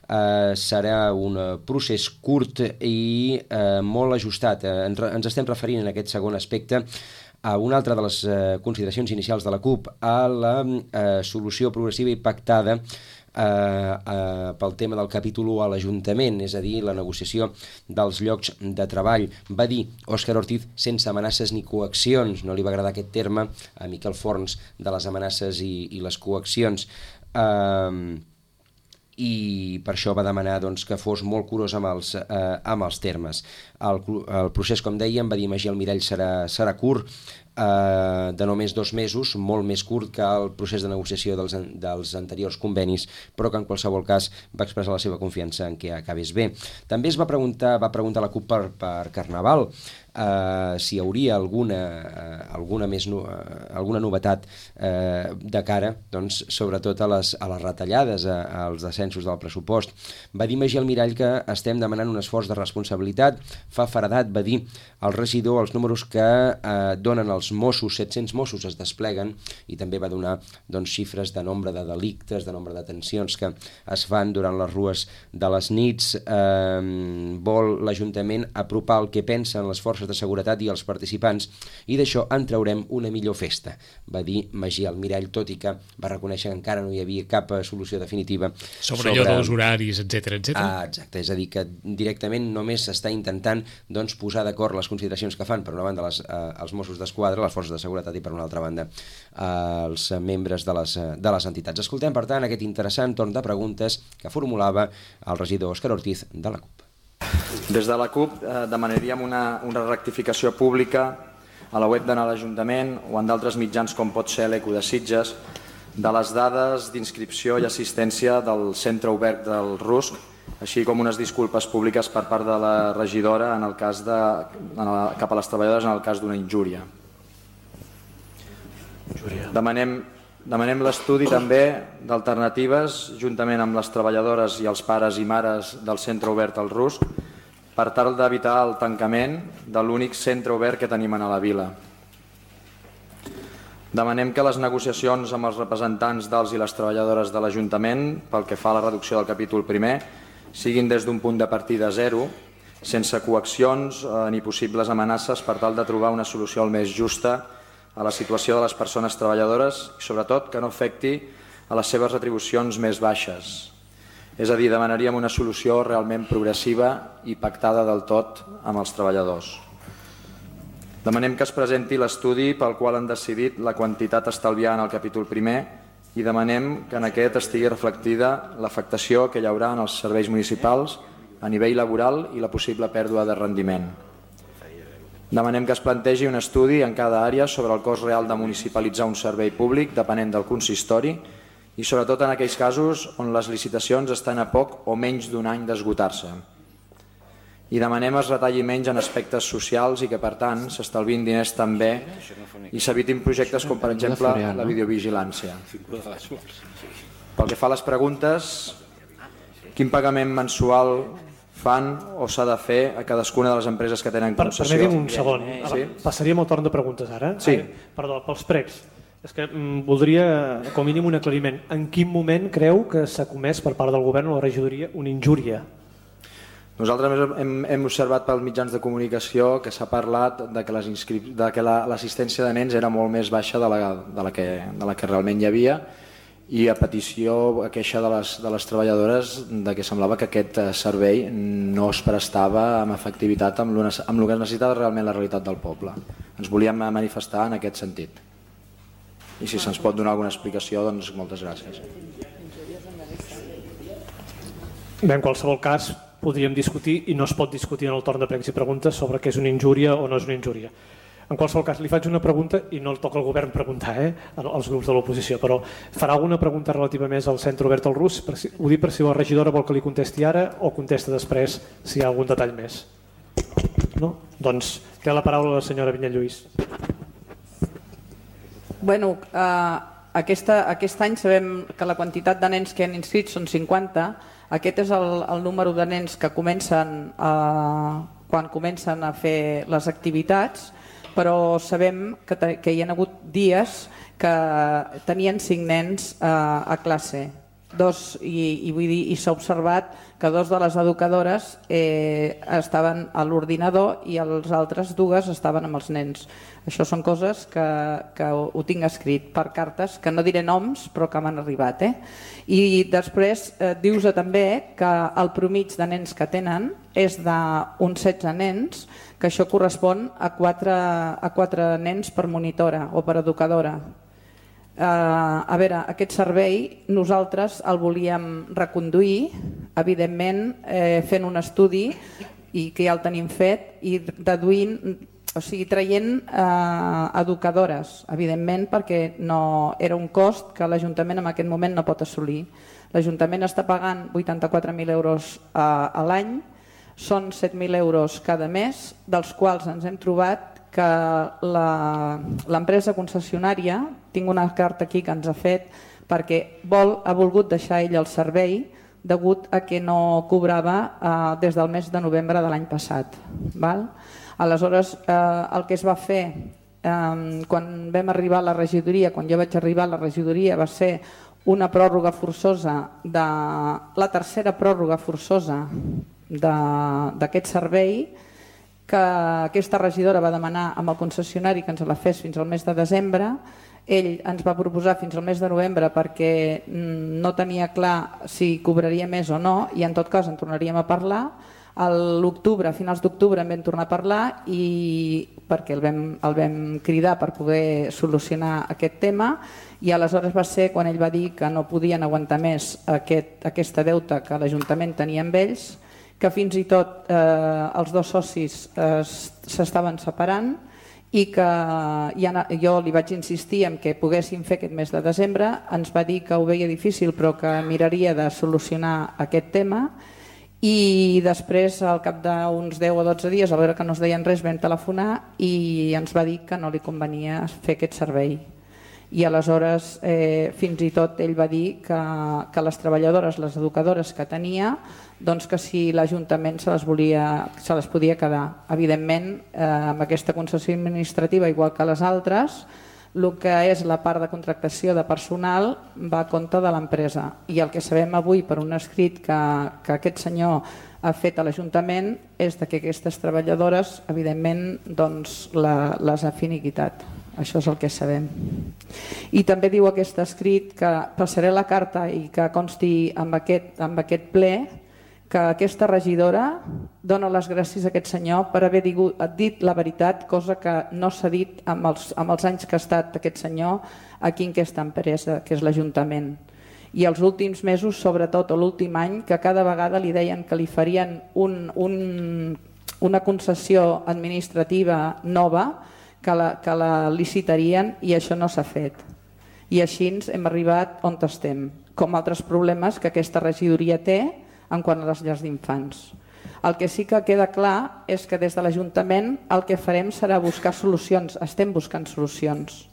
Uh, serà un procés curt i uh, molt ajustat. Uh, ens, ens estem referint en aquest segon aspecte a una altra de les uh, consideracions inicials de la CUP, a la uh, solució progressiva i pactada uh, uh, pel tema del capítol u a l'Ajuntament, és a dir, la negociació dels llocs de treball. Va dir Òscar Ortiz sense amenaces ni coaccions, no li va agradar aquest terme a Miquel Forns de les amenaces i, i les coaccions. Uh, i per això va demanar doncs, que fos molt curós amb els, eh, amb els termes. El, el procés, com dèiem, va dir Magí Almirall, serà, serà curt, eh, de només dos mesos, molt més curt que el procés de negociació dels, dels anteriors convenis, però que en qualsevol cas va expressar la seva confiança en que acabés bé. També es va preguntar, va preguntar la CUP per, per Carnaval, Uh, si hi hauria alguna, uh, alguna, més no, uh, alguna novetat uh, de cara, doncs, sobretot a les, a les retallades, a, als descensos del pressupost. Va dir Magí Almirall que estem demanant un esforç de responsabilitat, fa feredat, va dir el regidor, els números que uh, donen els Mossos, set-cents Mossos es despleguen, i també va donar doncs, xifres de nombre de delictes, de nombre de detencions que es fan durant les rues de les nits. Uh, vol l'Ajuntament apropar el que pensen les forces de seguretat i els participants, i d'això en traurem una millor festa, va dir Magí Almirall, tot i que va reconèixer que encara no hi havia cap solució definitiva sobre, sobre... allò dels horaris, etcètera, etcètera. Ah, exacte, és a dir, que directament només s'està intentant doncs, posar d'acord les consideracions que fan, per una banda les, eh, els Mossos d'Esquadra, les forces de seguretat, i per una altra banda eh, els membres de les, de les entitats. Escoltem, per tant, aquest interessant torn de preguntes que formulava el regidor Òscar Ortiz de la CUP. Des de la CUP eh, demanaríem una, una rectificació pública a la web de l'Ajuntament o en d'altres mitjans com pot ser l'Eco de Sitges de les dades d'inscripció i assistència del centre obert del RUSC, així com unes disculpes públiques per part de la regidora en el cas de, en la, cap a les treballadores en el cas d'una injúria. Demanem, demanem l'estudi també d'alternatives juntament amb les treballadores i els pares i mares del centre obert al Rusc per tal d'evitar el tancament de l'únic centre obert que tenim a la vila. Demanem que les negociacions amb els representants dels i les treballadores de l'Ajuntament pel que fa a la reducció del capítol primer siguin des d'un punt de partida zero, sense coaccions eh, ni possibles amenaces per tal de trobar una solució el més justa a la situació de les persones treballadores i sobretot que no afecti a les seves retribucions més baixes. És a dir, demanaríem una solució realment progressiva i pactada del tot amb els treballadors. Demanem que es presenti l'estudi pel qual han decidit la quantitat a estalviar en el capítol primer i demanem que en aquest estigui reflectida l'afectació que hi haurà en els serveis municipals a nivell laboral i la possible pèrdua de rendiment. Demanem que es plantegi un estudi en cada àrea sobre el cost real de municipalitzar un servei públic depenent del consistori i sobretot en aquells casos on les licitacions estan a poc o menys d'un any d'esgotar-se. I demanem es retalli menys en aspectes socials i que, per tant, s'estalvin diners també i s'evitin projectes com, per exemple, la videovigilància. Pel que fa a les preguntes, quin pagament mensual fan o s'ha de fer a cadascuna de les empreses que tenen concessió? Permeti'm un segon. Sí? Passaríem al torn de preguntes ara. Sí. Perdó, pels pregs. És que mm, voldria, com a mínim, un aclariment. En quin moment creu que s'ha comès per part del govern o la regidoria una injúria? Nosaltres hem, hem observat pels mitjans de comunicació que s'ha parlat de que, les inscrip... de que la, l'assistència de nens era molt més baixa de la, de la, que, de la que realment hi havia i a petició, a queixa de les, de les treballadores de que semblava que aquest servei no es prestava amb efectivitat amb el que necessitava realment la realitat del poble. Ens volíem manifestar en aquest sentit. I si se'ns pot donar alguna explicació, doncs moltes gràcies. Bé, en qualsevol cas, podríem discutir i no es pot discutir en el torn de pregs i preguntes sobre què és una injúria o no és una injúria. En qualsevol cas, li faig una pregunta i no el toca al govern preguntar, eh, als grups de l'oposició, però farà alguna pregunta relativa més al centre obert al Rusc? Si, ho dic per si la regidora vol que li contesti ara o contesta després si hi ha algun detall més. No? Doncs té la paraula la senyora Vinyalluís. Bueno, eh, aquesta, aquest any sabem que la quantitat de nens que han inscrit són cinquanta. Aquest és el, el número de nens que comencen a, quan comencen a fer les activitats, però sabem que, te, que hi ha hagut dies que tenien cinc nens a, a classe. Dos, i, i, vull dir, i s'ha observat que dos de les educadores eh, estaven a l'ordinador i els altres dues estaven amb els nens. Això són coses que, que ho, ho tinc escrit per cartes, que no diré noms, però que m'han arribat. Eh? I després eh, dius també que el promig de nens que tenen és d'uns setze nens, que això correspon a quatre, a quatre nens per monitora o per educadora. Uh, a veure, aquest servei nosaltres el volíem reconduir, evidentment eh, fent un estudi i que ja el tenim fet i deduint, o sigui, traient eh, educadores, evidentment, perquè no era un cost que l'Ajuntament en aquest moment no pot assolir. L'Ajuntament està pagant vuitanta-quatre mil euros a, a l'any, són set mil euros cada mes, dels quals ens hem trobat que l'empresa concessionària, tinc una carta aquí que ens ha fet, perquè vol, ha volgut deixar ell el servei degut a que no cobrava eh, des del mes de novembre de l'any passat. Val? Aleshores, eh, el que es va fer eh, quan vam arribar a la regidoria, quan jo vaig arribar a la regidoria, va ser una pròrroga forçosa, de, la tercera pròrroga forçosa d'aquest servei, que aquesta regidora va demanar amb el concessionari que ens la fes fins al mes de desembre. Ell ens va proposar fins al mes de novembre perquè no tenia clar si cobraria més o no i en tot cas en tornaríem a parlar. A l'octubre, a finals d'octubre en vam tornar a parlar i perquè el vam, el vam cridar per poder solucionar aquest tema i aleshores va ser quan ell va dir que no podien aguantar més aquest, aquesta deuta que l'Ajuntament tenia amb ells, que fins i tot eh, els dos socis eh, s'estaven separant i que ja, jo li vaig insistir en que poguéssim fer aquest mes de desembre, ens va dir que ho veia difícil però que miraria de solucionar aquest tema i després al cap d'uns deu o dotze dies, a veure que no es deien res, vam telefonar i ens va dir que no li convenia fer aquest servei. I aleshores eh, fins i tot ell va dir que, que les treballadores, les educadores que tenia, doncs que si l'Ajuntament se les volia, se les podia quedar. Evidentment, eh, amb aquesta concessió administrativa, igual que les altres, el que és la part de contractació de personal va a compte de l'empresa. I el que sabem avui per un escrit que, que aquest senyor ha fet a l'Ajuntament és que aquestes treballadores, evidentment, doncs, la, les ha finiquitat. Això és el que sabem. I també diu aquest escrit que passaré la carta i que consti amb aquest, amb aquest ple que aquesta regidora dona les gràcies a aquest senyor per haver dit la veritat, cosa que no s'ha dit amb els, amb els anys que ha estat aquest senyor aquí en aquesta empresa, que és l'Ajuntament. I els últims mesos, sobretot l'últim any, que cada vegada li deien que li farien un, un, una concessió administrativa nova, que la, que la licitarien, i això no s'ha fet. I així hem arribat on estem, com altres problemes que aquesta regidoria té en quant a les llars d'infants. El que sí que queda clar és que des de l'Ajuntament el que farem serà buscar solucions, estem buscant solucions.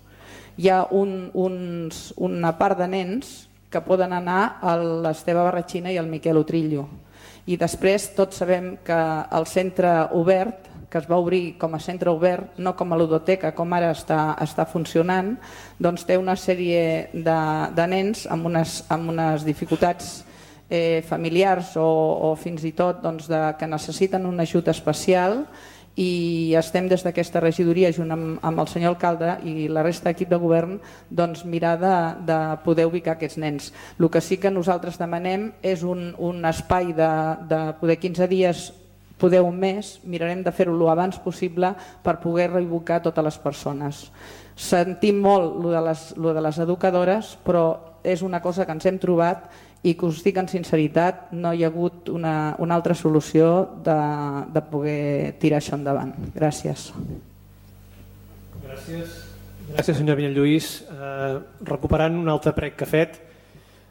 Hi ha un, uns, una part de nens que poden anar a l'Esteve Barratxina i al Miquel Utrillo. I després tots sabem que el centre obert, que es va obrir com a centre obert, no com a ludoteca, com ara està, està funcionant, doncs té una sèrie de, de nens amb unes, amb unes dificultats eh, familiars o, o fins i tot doncs, de, que necessiten un ajut especial, i estem des d'aquesta regidoria junt amb, amb el senyor alcalde i la resta d'equip de govern doncs, mirar de, de poder ubicar aquests nens. El que sí que nosaltres demanem és un, un espai de, de poder quinze dies, poder un mes, mirarem de fer-ho el abans possible per poder reubicar totes les persones. Sentim molt lo de, les, lo de les educadores, però és una cosa que ens hem trobat i que us dic en sinceritat, no hi ha hagut una, una altra solució de, de poder tirar això endavant. Gràcies. Gràcies, Gràcies senyor Vinyalluís. Eh, recuperant un altre prec que ha fet,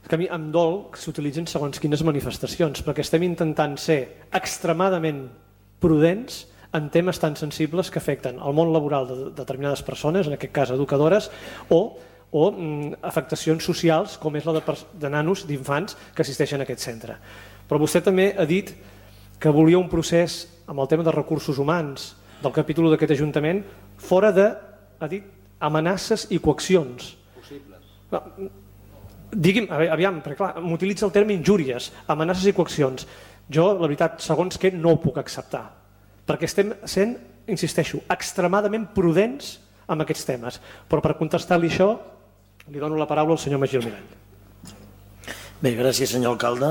que a mi em dol que s'utilitzin segons quines manifestacions, perquè estem intentant ser extremadament prudents en temes tan sensibles que afecten el món laboral de determinades persones, en aquest cas educadores, o, o mm, afectacions socials com és la de, de nanos, d'infants que assisteixen a aquest centre. Però vostè també ha dit que volia un procés amb el tema de recursos humans del capítol d'aquest Ajuntament fora de, ha dit, amenaces i coaccions. Possibles. Digui'm, aviam, perquè clar, m'utilitza el terme injúries, amenaces i coaccions. Jo, la veritat, segons què, no ho puc acceptar, perquè estem sent, insisteixo, extremadament prudents amb aquests temes. Però per contestar-li això, li dono la paraula al senyor Magí Almirall. Bé, gràcies, senyor alcalde.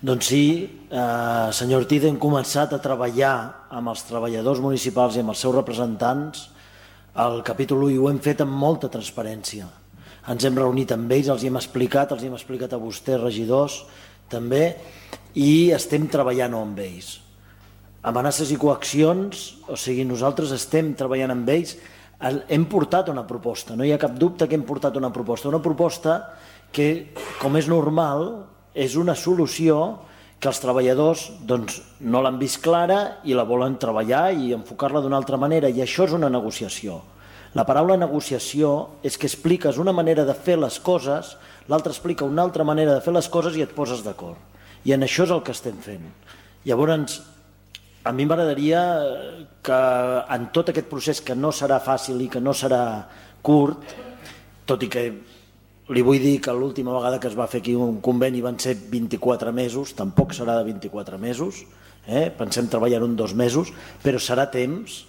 Doncs sí, eh, senyor Ortiz, hem començat a treballar amb els treballadors municipals i amb els seus representants al capítol u i ho hem fet amb molta transparència. Ens hem reunit amb ells, els hi hem explicat, els hi hem explicat a vostès, regidors, també, i estem treballant amb ells. Amenaces i coaccions, o sigui, nosaltres estem treballant amb ells, hem portat una proposta, no hi ha cap dubte que hem portat una proposta, una proposta que, com és normal, és una solució que els treballadors doncs, no l'han vist clara i la volen treballar i enfocar-la d'una altra manera, i això és una negociació. La paraula negociació és que expliques una manera de fer les coses, l'altre explica una altra manera de fer les coses i et poses d'acord. I en això és el que estem fent. Llavors, a mi m'agradaria que en tot aquest procés, que no serà fàcil i que no serà curt, tot i que li vull dir que l'última vegada que es va fer aquí un conveni van ser vint-i-quatre mesos, tampoc serà de vint-i-quatre mesos, eh? Pensem treballar en dos mesos, però serà temps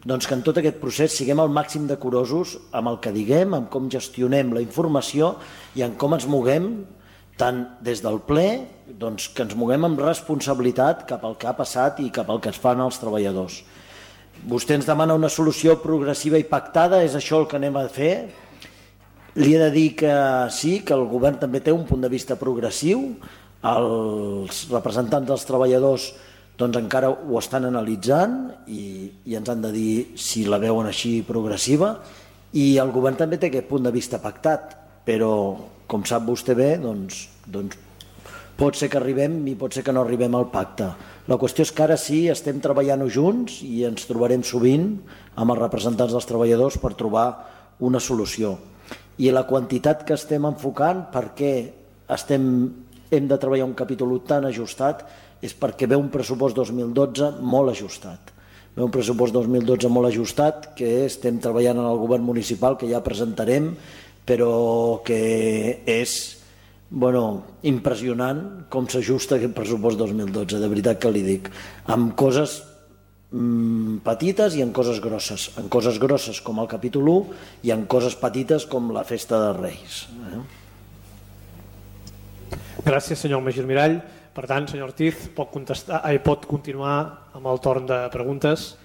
doncs que en tot aquest procés siguem al màxim decorosos amb el que diguem, amb com gestionem la informació i en com ens moguem, tant des del ple, doncs que ens moguem amb responsabilitat cap al que ha passat i cap al que es fan els treballadors. Vostè ens demana una solució progressiva i pactada, és això el que anem a fer. Li he de dir que sí, que el govern també té un punt de vista progressiu, els representants dels treballadors doncs encara ho estan analitzant i, i ens han de dir si la veuen així progressiva, i el govern també té aquest punt de vista pactat, però com sap vostè bé, doncs, doncs pot ser que arribem i pot ser que no arribem al pacte. La qüestió és que ara sí estem treballant-ho junts i ens trobarem sovint amb els representants dels treballadors per trobar una solució. i la quantitat que estem enfocant, per què estem, hem de treballar un capítol u tan ajustat, és perquè ve un pressupost dos mil dotze molt ajustat. Ve un pressupost dos mil dotze molt ajustat que estem treballant en el govern municipal, que ja presentarem, però que és bueno, impressionant com s'ajusta aquest pressupost dos mil dotze, de veritat que li dic, amb coses mmm, petites i en coses grosses, en coses grosses com el capítol u i en coses petites com la festa de Reis. Eh? Gràcies, senyor Magí Mirall. Per tant, senyor Ortiz, pot, contestar, eh, pot continuar amb el torn de preguntes.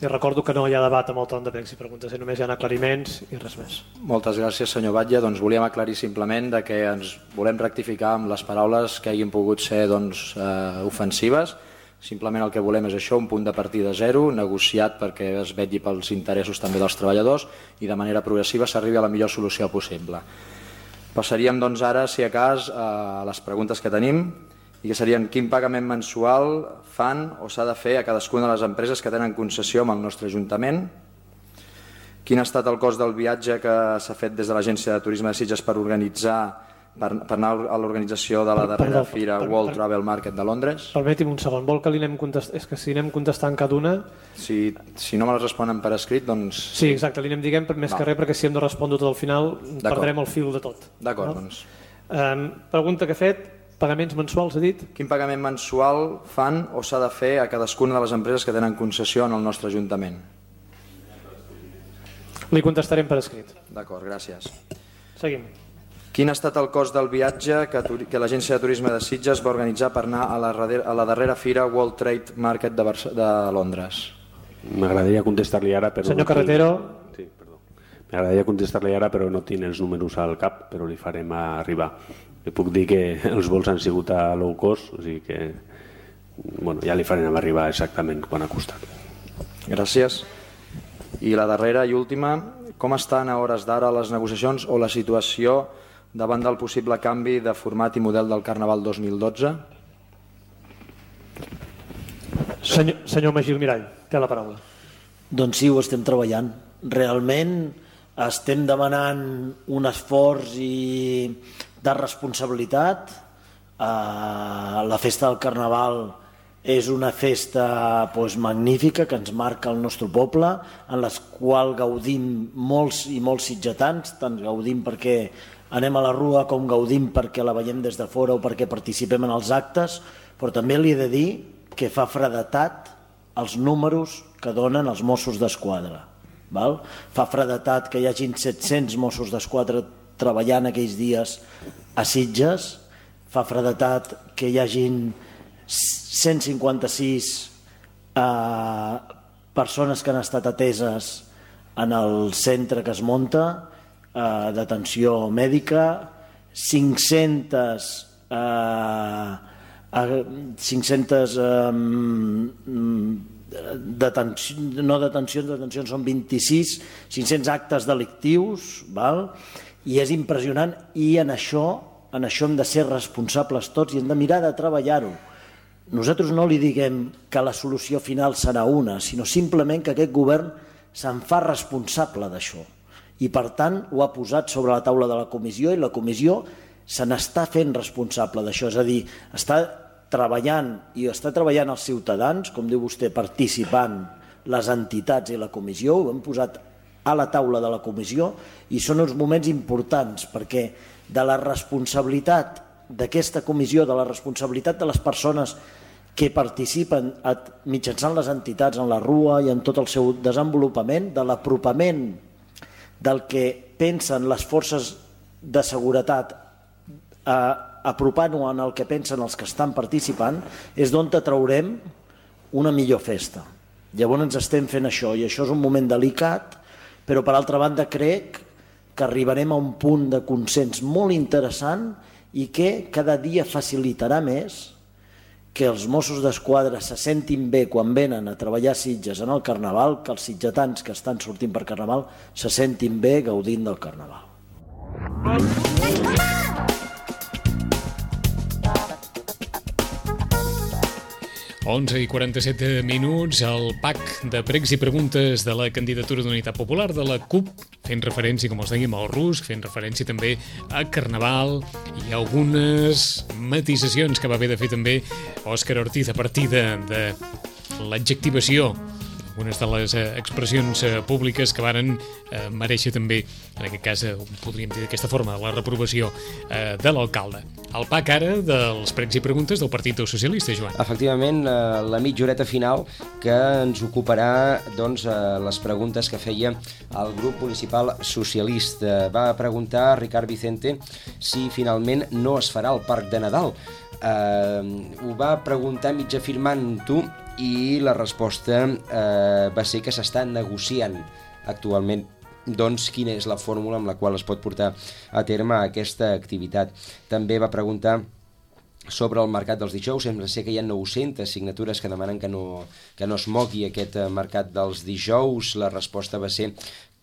I recordo que no hi ha debat amb el torn de pregs i preguntes, eh? Només hi ha aclariments i res més. Moltes gràcies, senyor Batlle. Doncs volíem aclarir simplement de que ens volem rectificar amb les paraules que hagin pogut ser doncs, eh, ofensives. Simplement el que volem és això, un punt de partida zero, negociat perquè es vetlli pels interessos també dels treballadors i de manera progressiva s'arribi a la millor solució possible. Passaríem doncs ara, si a cas, a les preguntes que tenim, i que serien quin pagament mensual fan o s'ha de fer a cadascuna de les empreses que tenen concessió amb el nostre Ajuntament, quin ha estat el cost del viatge que s'ha fet des de l'Agència de Turisme de Sitges per organitzar per, per anar a l'organització de la darrera Perdó, fira per, World per, Travel Market de Londres. Permeti'm un segon, vol que li anem contestant? És que si anem contestant cada una... Si, si no me les responen per escrit, doncs... Sí, exacte, li anem diguem més que res, perquè si hem de respondre tot al final perdrem el fil de tot. D'acord, no? doncs... Um, pregunta que he fet, pagaments mensuals, ha dit? Quin pagament mensual fan o s'ha de fer a cadascuna de les empreses que tenen concessió en el nostre Ajuntament? Li contestarem per escrit. D'acord, gràcies. Seguim. Quin ha estat el cost del viatge que, que l'Agència de Turisme de Sitges va organitzar per anar a la, a la darrera fira World Trade Market de, Barça, de Londres? M'agradaria contestar-li ara, però... Senyor Carretero... Sí, perdó. M'agradaria contestar-li ara, però no tinc els números al cap, però li farem arribar. Li puc dir que els vols han sigut a low cost, o sigui que bueno, ja li farem arribar exactament quan ha costat. Gràcies. I la darrera i última, com estan a hores d'ara les negociacions o la situació davant del possible canvi de format i model del Carnaval dos mil dotze? Senyor, senyor Magí Mirall, té la paraula. Doncs sí, ho estem treballant. Realment estem demanant un esforç i de responsabilitat. Uh, la festa del Carnaval és una festa doncs, magnífica que ens marca el nostre poble, en la qual gaudim molts i molts sitgetans, tant gaudim perquè anem a la rua com gaudim perquè la veiem des de fora o perquè participem en els actes, però també li he de dir que fa fredetat els números que donen els Mossos d'Esquadra. Val? Fa fredetat que hi hagin set-cents Mossos d'Esquadra treballant aquells dies a Sitges, fa fredetat que hi hagin cent cinquanta-sis eh, persones que han estat ateses en el centre que es munta, eh, d'atenció mèdica, cinc-centes eh, cinc-centes eh, detenció, no detencions, detencions són vint-i-sis, cinc-cents actes delictius, val? I és impressionant, i en això, en això hem de ser responsables tots i hem de mirar de treballar-ho. Nosaltres no li diguem que la solució final serà una, sinó simplement que aquest govern se'n fa responsable d'això. I per tant ho ha posat sobre la taula de la comissió i la comissió se n'està fent responsable d'això, és a dir, està treballant i està treballant els ciutadans, com diu vostè, participant les entitats i la comissió, ho hem posat a la taula de la comissió i són uns moments importants perquè de la responsabilitat d'aquesta comissió, de la responsabilitat de les persones que participen mitjançant les entitats en la rua i en tot el seu desenvolupament, de l'apropament del que pensen les forces de seguretat a apropant-ho en el que pensen els que estan participant, és d'on traurem una millor festa. Llavors ens estem fent això i això és un moment delicat, però per altra banda crec que arribarem a un punt de consens molt interessant i que cada dia facilitarà més que els Mossos d'Esquadra se sentin bé quan venen a treballar a Sitges en el Carnaval, que els sitgetans que estan sortint per Carnaval se sentin bé gaudint del Carnaval. onze i quaranta-set minuts, el pack de pregs i preguntes de la candidatura d'Unitat Popular de la C U P, fent referència, com els dèiem, al rusc, fent referència també a Carnaval i algunes matisacions que va haver de fer també Òscar Ortiz a partir de, de l'adjectivació, algunes de les eh, expressions eh, públiques que varen eh, mereixer també, en aquest cas, eh, podríem dir d'aquesta forma, la reprovació eh, de l'alcalde. El pack ara dels pregs i preguntes del Partit Socialista, Joan. Efectivament, eh, la mitja horeta final que ens ocuparà doncs, eh, les preguntes que feia el grup municipal socialista. Va preguntar a Ricard Vicente si finalment no es farà el Parc de Nadal. Eh, ho va preguntar mig afirmant-ho i la resposta eh, va ser que s'està negociant actualment doncs quina és la fórmula amb la qual es pot portar a terme aquesta activitat. També va preguntar sobre el mercat dels dijous. Sembla ser que hi ha nou-centes signatures que demanen que no, que no es mogui aquest mercat dels dijous. La resposta va ser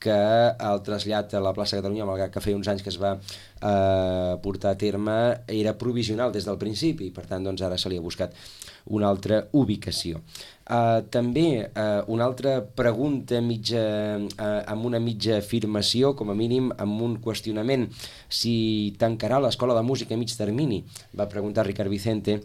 que el trasllat a la plaça Catalunya, malgrat que feia uns anys que es va eh, portar a terme, era provisional des del principi, per tant doncs, ara se li ha buscat una altra ubicació. Uh, també uh, una altra pregunta mitja, uh, amb una mitja afirmació, com a mínim amb un qüestionament: si tancarà l'escola de música a mig termini, va preguntar Ricard Vicente.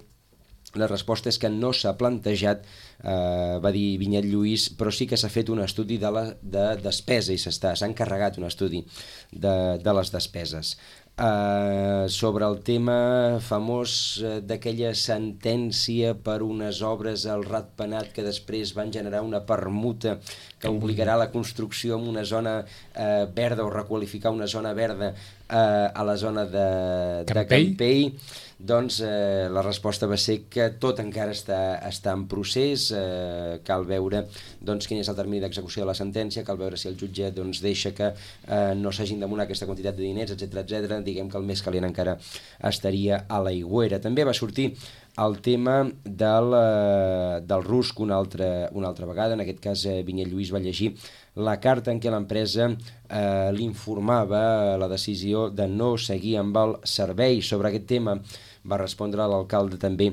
La resposta és que no s'ha plantejat, eh, va dir Vinyet Lluís, però sí que s'ha fet un estudi de, la, de despesa i s'ha encarregat un estudi de, de les despeses. Uh, sobre el tema famós uh, d'aquella sentència per unes obres al Ratpenat que després van generar una permuta que obligarà la construcció en una zona uh, verda o requalificar una zona verda uh, a la zona de, de Campell, doncs uh, la resposta va ser que tot encara està, està en procés, uh, cal veure doncs, quin és el termini d'execució de la sentència, cal veure si el jutge doncs, deixa que uh, no s'hagin d'amonar aquesta quantitat de diners, etcètera etcètera. Diguem que el més calent encara estaria a l'aigüera. També va sortir el tema del, del rusc una altra, una altra vegada. En aquest cas, Vinyet Lluís va llegir la carta en què l'empresa eh, l'informava la decisió de no seguir amb el servei. Sobre aquest tema va respondre l'alcalde també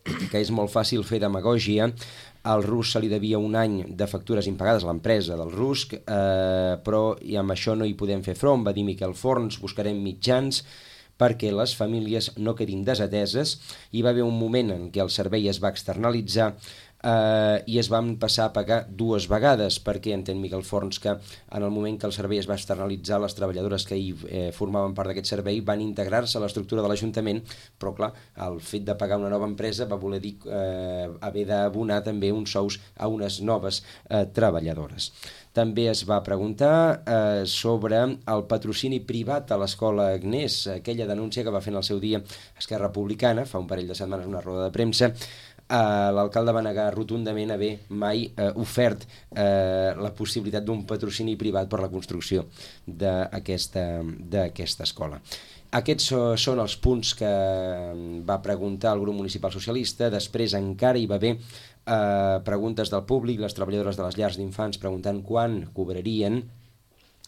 que és molt fàcil fer demagògia. Al rusc se li devia un any de factures impagades a l'empresa del rusc, eh, però i amb això no hi podem fer front, va dir Miquel Forns. Buscarem mitjans perquè les famílies no quedin desateses. Hi va haver un moment en què el servei es va externalitzar eh, i es van passar a pagar dues vegades, perquè entén Miquel Forns que en el moment que el servei es va externalitzar, les treballadores que hi eh, formaven part d'aquest servei van integrar-se a l'estructura de l'Ajuntament, però clar, el fet de pagar una nova empresa va voler dir eh, haver d'abonar també uns sous a unes noves eh, treballadores. També es va preguntar eh, sobre el patrocini privat a l'escola Agnès, aquella denúncia que va fer en el seu dia Esquerra Republicana, fa un parell de setmanes una roda de premsa. Uh, l'alcalde va negar rotundament haver mai uh, ofert uh, la possibilitat d'un patrocini privat per la construcció d'aquesta d'aquesta escola. Aquests són els punts que va preguntar el grup municipal socialista. Després encara hi va haver uh, preguntes del públic, les treballadores de les llars d'infants preguntant quan cobrarien.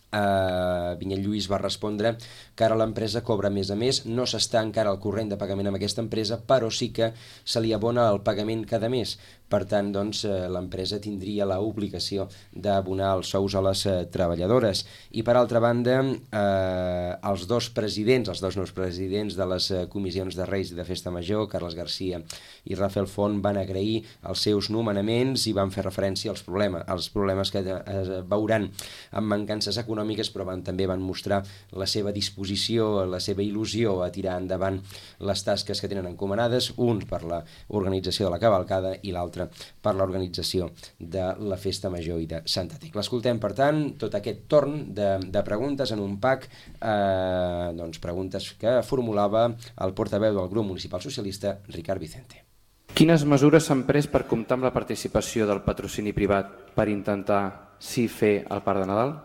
Uh, Vinyet Lluís va respondre que ara l'empresa cobra més a més, no s'està encara al corrent de pagament amb aquesta empresa, però sí que se li abona el pagament cada mes. Per tant, doncs, l'empresa tindria l'obligació d'abonar els sous a les treballadores. I per altra banda, eh, els dos presidents, els dos nous presidents de les comissions de Reis i de Festa Major, Carles Garcia i Rafael Font, van agrair els seus nomenaments i van fer referència als problemes, als problemes que es veuran amb mancances econòmiques, però van, també van mostrar la seva disposició, la seva il·lusió a tirar endavant les tasques que tenen encomanades, un per l'organització de la cavalcada i l'altre per l'organització de la Festa Major i de Santa Tecla. Escoltem, per tant, tot aquest torn de, de preguntes en un pack, eh, doncs preguntes que formulava el portaveu del grup municipal socialista, Ricard Vicente. Quines mesures s'han pres per comptar amb la participació del patrocini privat per intentar sí fer el Parc de Nadal?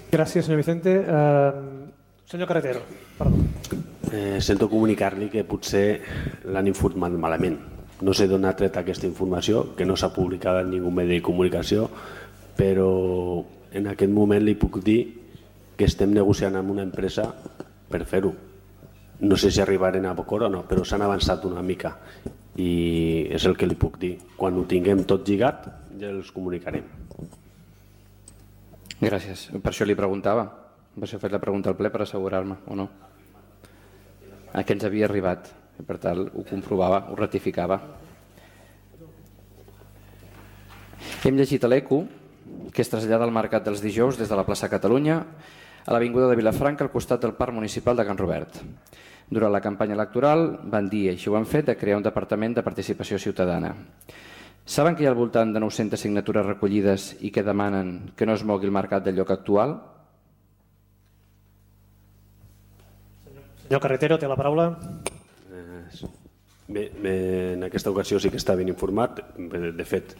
Gràcies, senyor Vicente. Uh, senyor Carretero, perdó. Eh, sento comunicar-li que potser l'han informat malament. No sé d'on ha tret aquesta informació, que no s'ha publicat en ningú medi de comunicació, però en aquest moment li puc dir que estem negociant amb una empresa per fer-ho. no sé si arribarem a Bocor o no, però s'han avançat una mica i és el que li puc dir. Quan ho tinguem tot lligat ja els comunicarem. Gràcies. Per això li preguntava. Per això he fet la pregunta al ple per assegurar-me, o no? A què ens havia arribat. I per tant, ho comprovava, ho ratificava. Hem llegit a l'Eco que es trasllada al Mercat dels Dijous des de la plaça Catalunya a l'avinguda de Vilafranca al costat del Parc Municipal de Can Robert. Durant la campanya electoral van dir, així ho han fet, de crear un departament de participació ciutadana. Saben que hi ha al voltant de nou-centes signatures recollides i que demanen que no es mogui el mercat del lloc actual? Senyor Carretero, té la paraula. Bé, bé, en aquesta ocasió sí que està ben informat. De fet,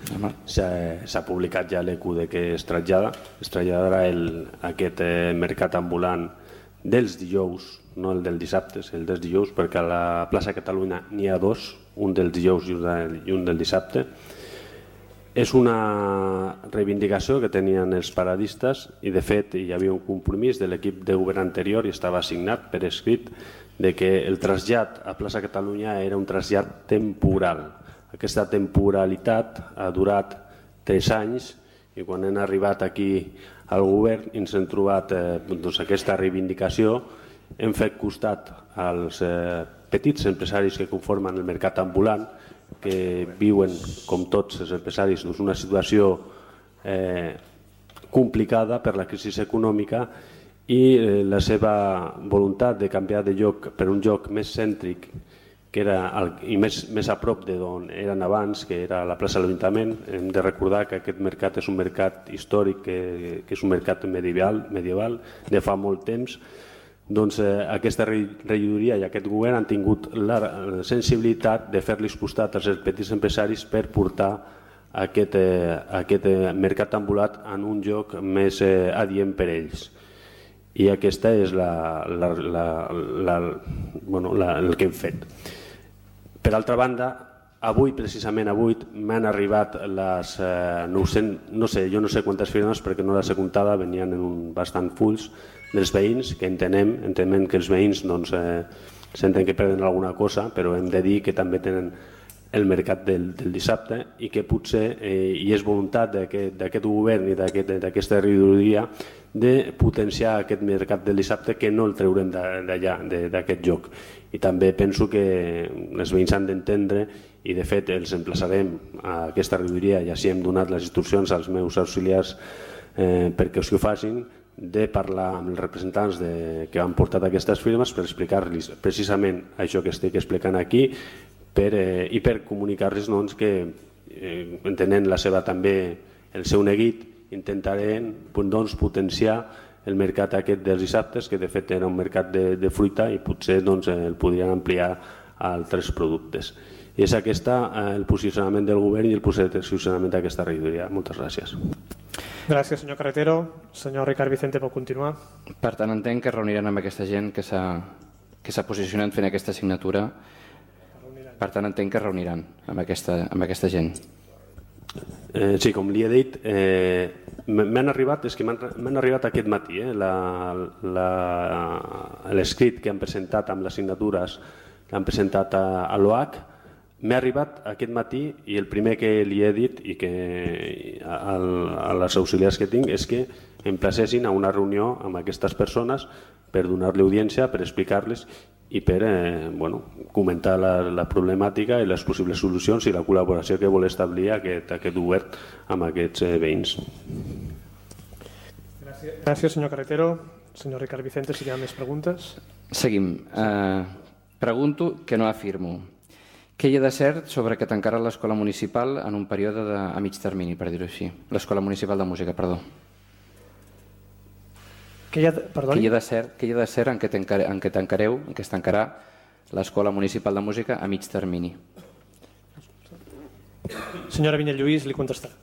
s'ha publicat ja l'E Q de que es trasllada. Es traslladarà el, aquest eh, mercat ambulant dels dijous, no el del dissabte, el dels dijous, perquè a la plaça Catalunya n'hi ha dos, un dels dijous i un del dissabte. És una reivindicació que tenien els paradistes i, de fet, hi havia un compromís de l'equip de govern anterior i estava assignat per escrit de que el trasllat a plaça Catalunya era un trasllat temporal. Aquesta temporalitat ha durat tres anys i quan hem arribat aquí al govern ens hem trobat eh, doncs, aquesta reivindicació. Hem fet costat als eh, petits empresaris que conformen el mercat ambulant, que viuen, com tots els empresaris, doncs una situació eh, complicada per la crisi econòmica i eh, la seva voluntat de canviar de lloc per un lloc més cèntric que era el, i més, més a prop d'on eren abans, que era la plaça de l'Ajuntament. Hem de recordar que aquest mercat és un mercat històric, que, que és un mercat medieval, medieval de fa molt temps. Doncs eh, aquesta regidoria i aquest govern han tingut la sensibilitat de fer-los costat als petits empresaris per portar aquest, eh, aquest eh, mercat ambulat en un lloc més eh, adient per ells. I aquesta és la, la, la, la, bueno, la, el que hem fet. Per altra banda, avui, precisament avui, m'han arribat les eh, nou-cents, no sé, jo no sé quantes firmes perquè no les he comptada, venien en un bastant fulls dels veïns, que entenem, entenem que els veïns doncs, eh, senten que perden alguna cosa, però hem de dir que també tenen el mercat del, del dissabte i que potser eh, hi és voluntat d'aquest govern i d'aquesta regidoria de potenciar aquest mercat del dissabte, que no el treurem d'allà, d'aquest lloc. I també penso que els veïns han d'entendre, i de fet els emplaçarem a aquesta regidoria, i així hem donat les instruccions als meus auxiliars eh, perquè ho facin, de parlar amb els representants de, que han portat aquestes firmes per explicar-los precisament això que estic explicant aquí per, eh, i per comunicar-los doncs, que eh, entenent la seva també el seu neguit intentarem doncs, potenciar el mercat aquest dels dissabtes, que de fet era un mercat de, de fruita i potser doncs, el podrien ampliar a altres productes. I és aquest eh, el posicionament del govern i el posicionament d'aquesta regidoria. Moltes gràcies. Gràcies, senyor Carretero. Senyor Ricard Vicente, pot continuar. Per tant, entenc que reuniran amb aquesta gent que s'ha posicionat fent aquesta signatura. Per tant, entenc que reuniran amb aquesta, amb aquesta gent. Eh, sí, com li he dit, eh, m'han arribat, és que m'han arribat aquest matí eh, l'escrit que han presentat amb les signatures que han presentat a, a l'O H. M'ha arribat aquest matí i el primer que li he dit i que a, a les auxiliars que tinc és que em placessin a una reunió amb aquestes persones per donar-li audiència, per explicar-les i per eh, bueno, comentar la, la problemàtica i les possibles solucions i la col·laboració que vol establir aquest, aquest govern amb aquests eh, veïns. Gràcies. Gràcies, senyor Carretero. Senyor Ricard Vicente, si hi ha més preguntes. Seguim. Eh, pregunto que no afirmo. Què hi ha de cert sobre que tancarà l'escola municipal en un període de, a mig termini, per dir-ho així? L'escola municipal de música, perdó. Què hi ha de, què hi ha de cert, què hi ha de cert en què tancare, en què tancareu, en què es tancarà l'escola municipal de música a mig termini? Senyora Vinyet Lluís, li contestarà.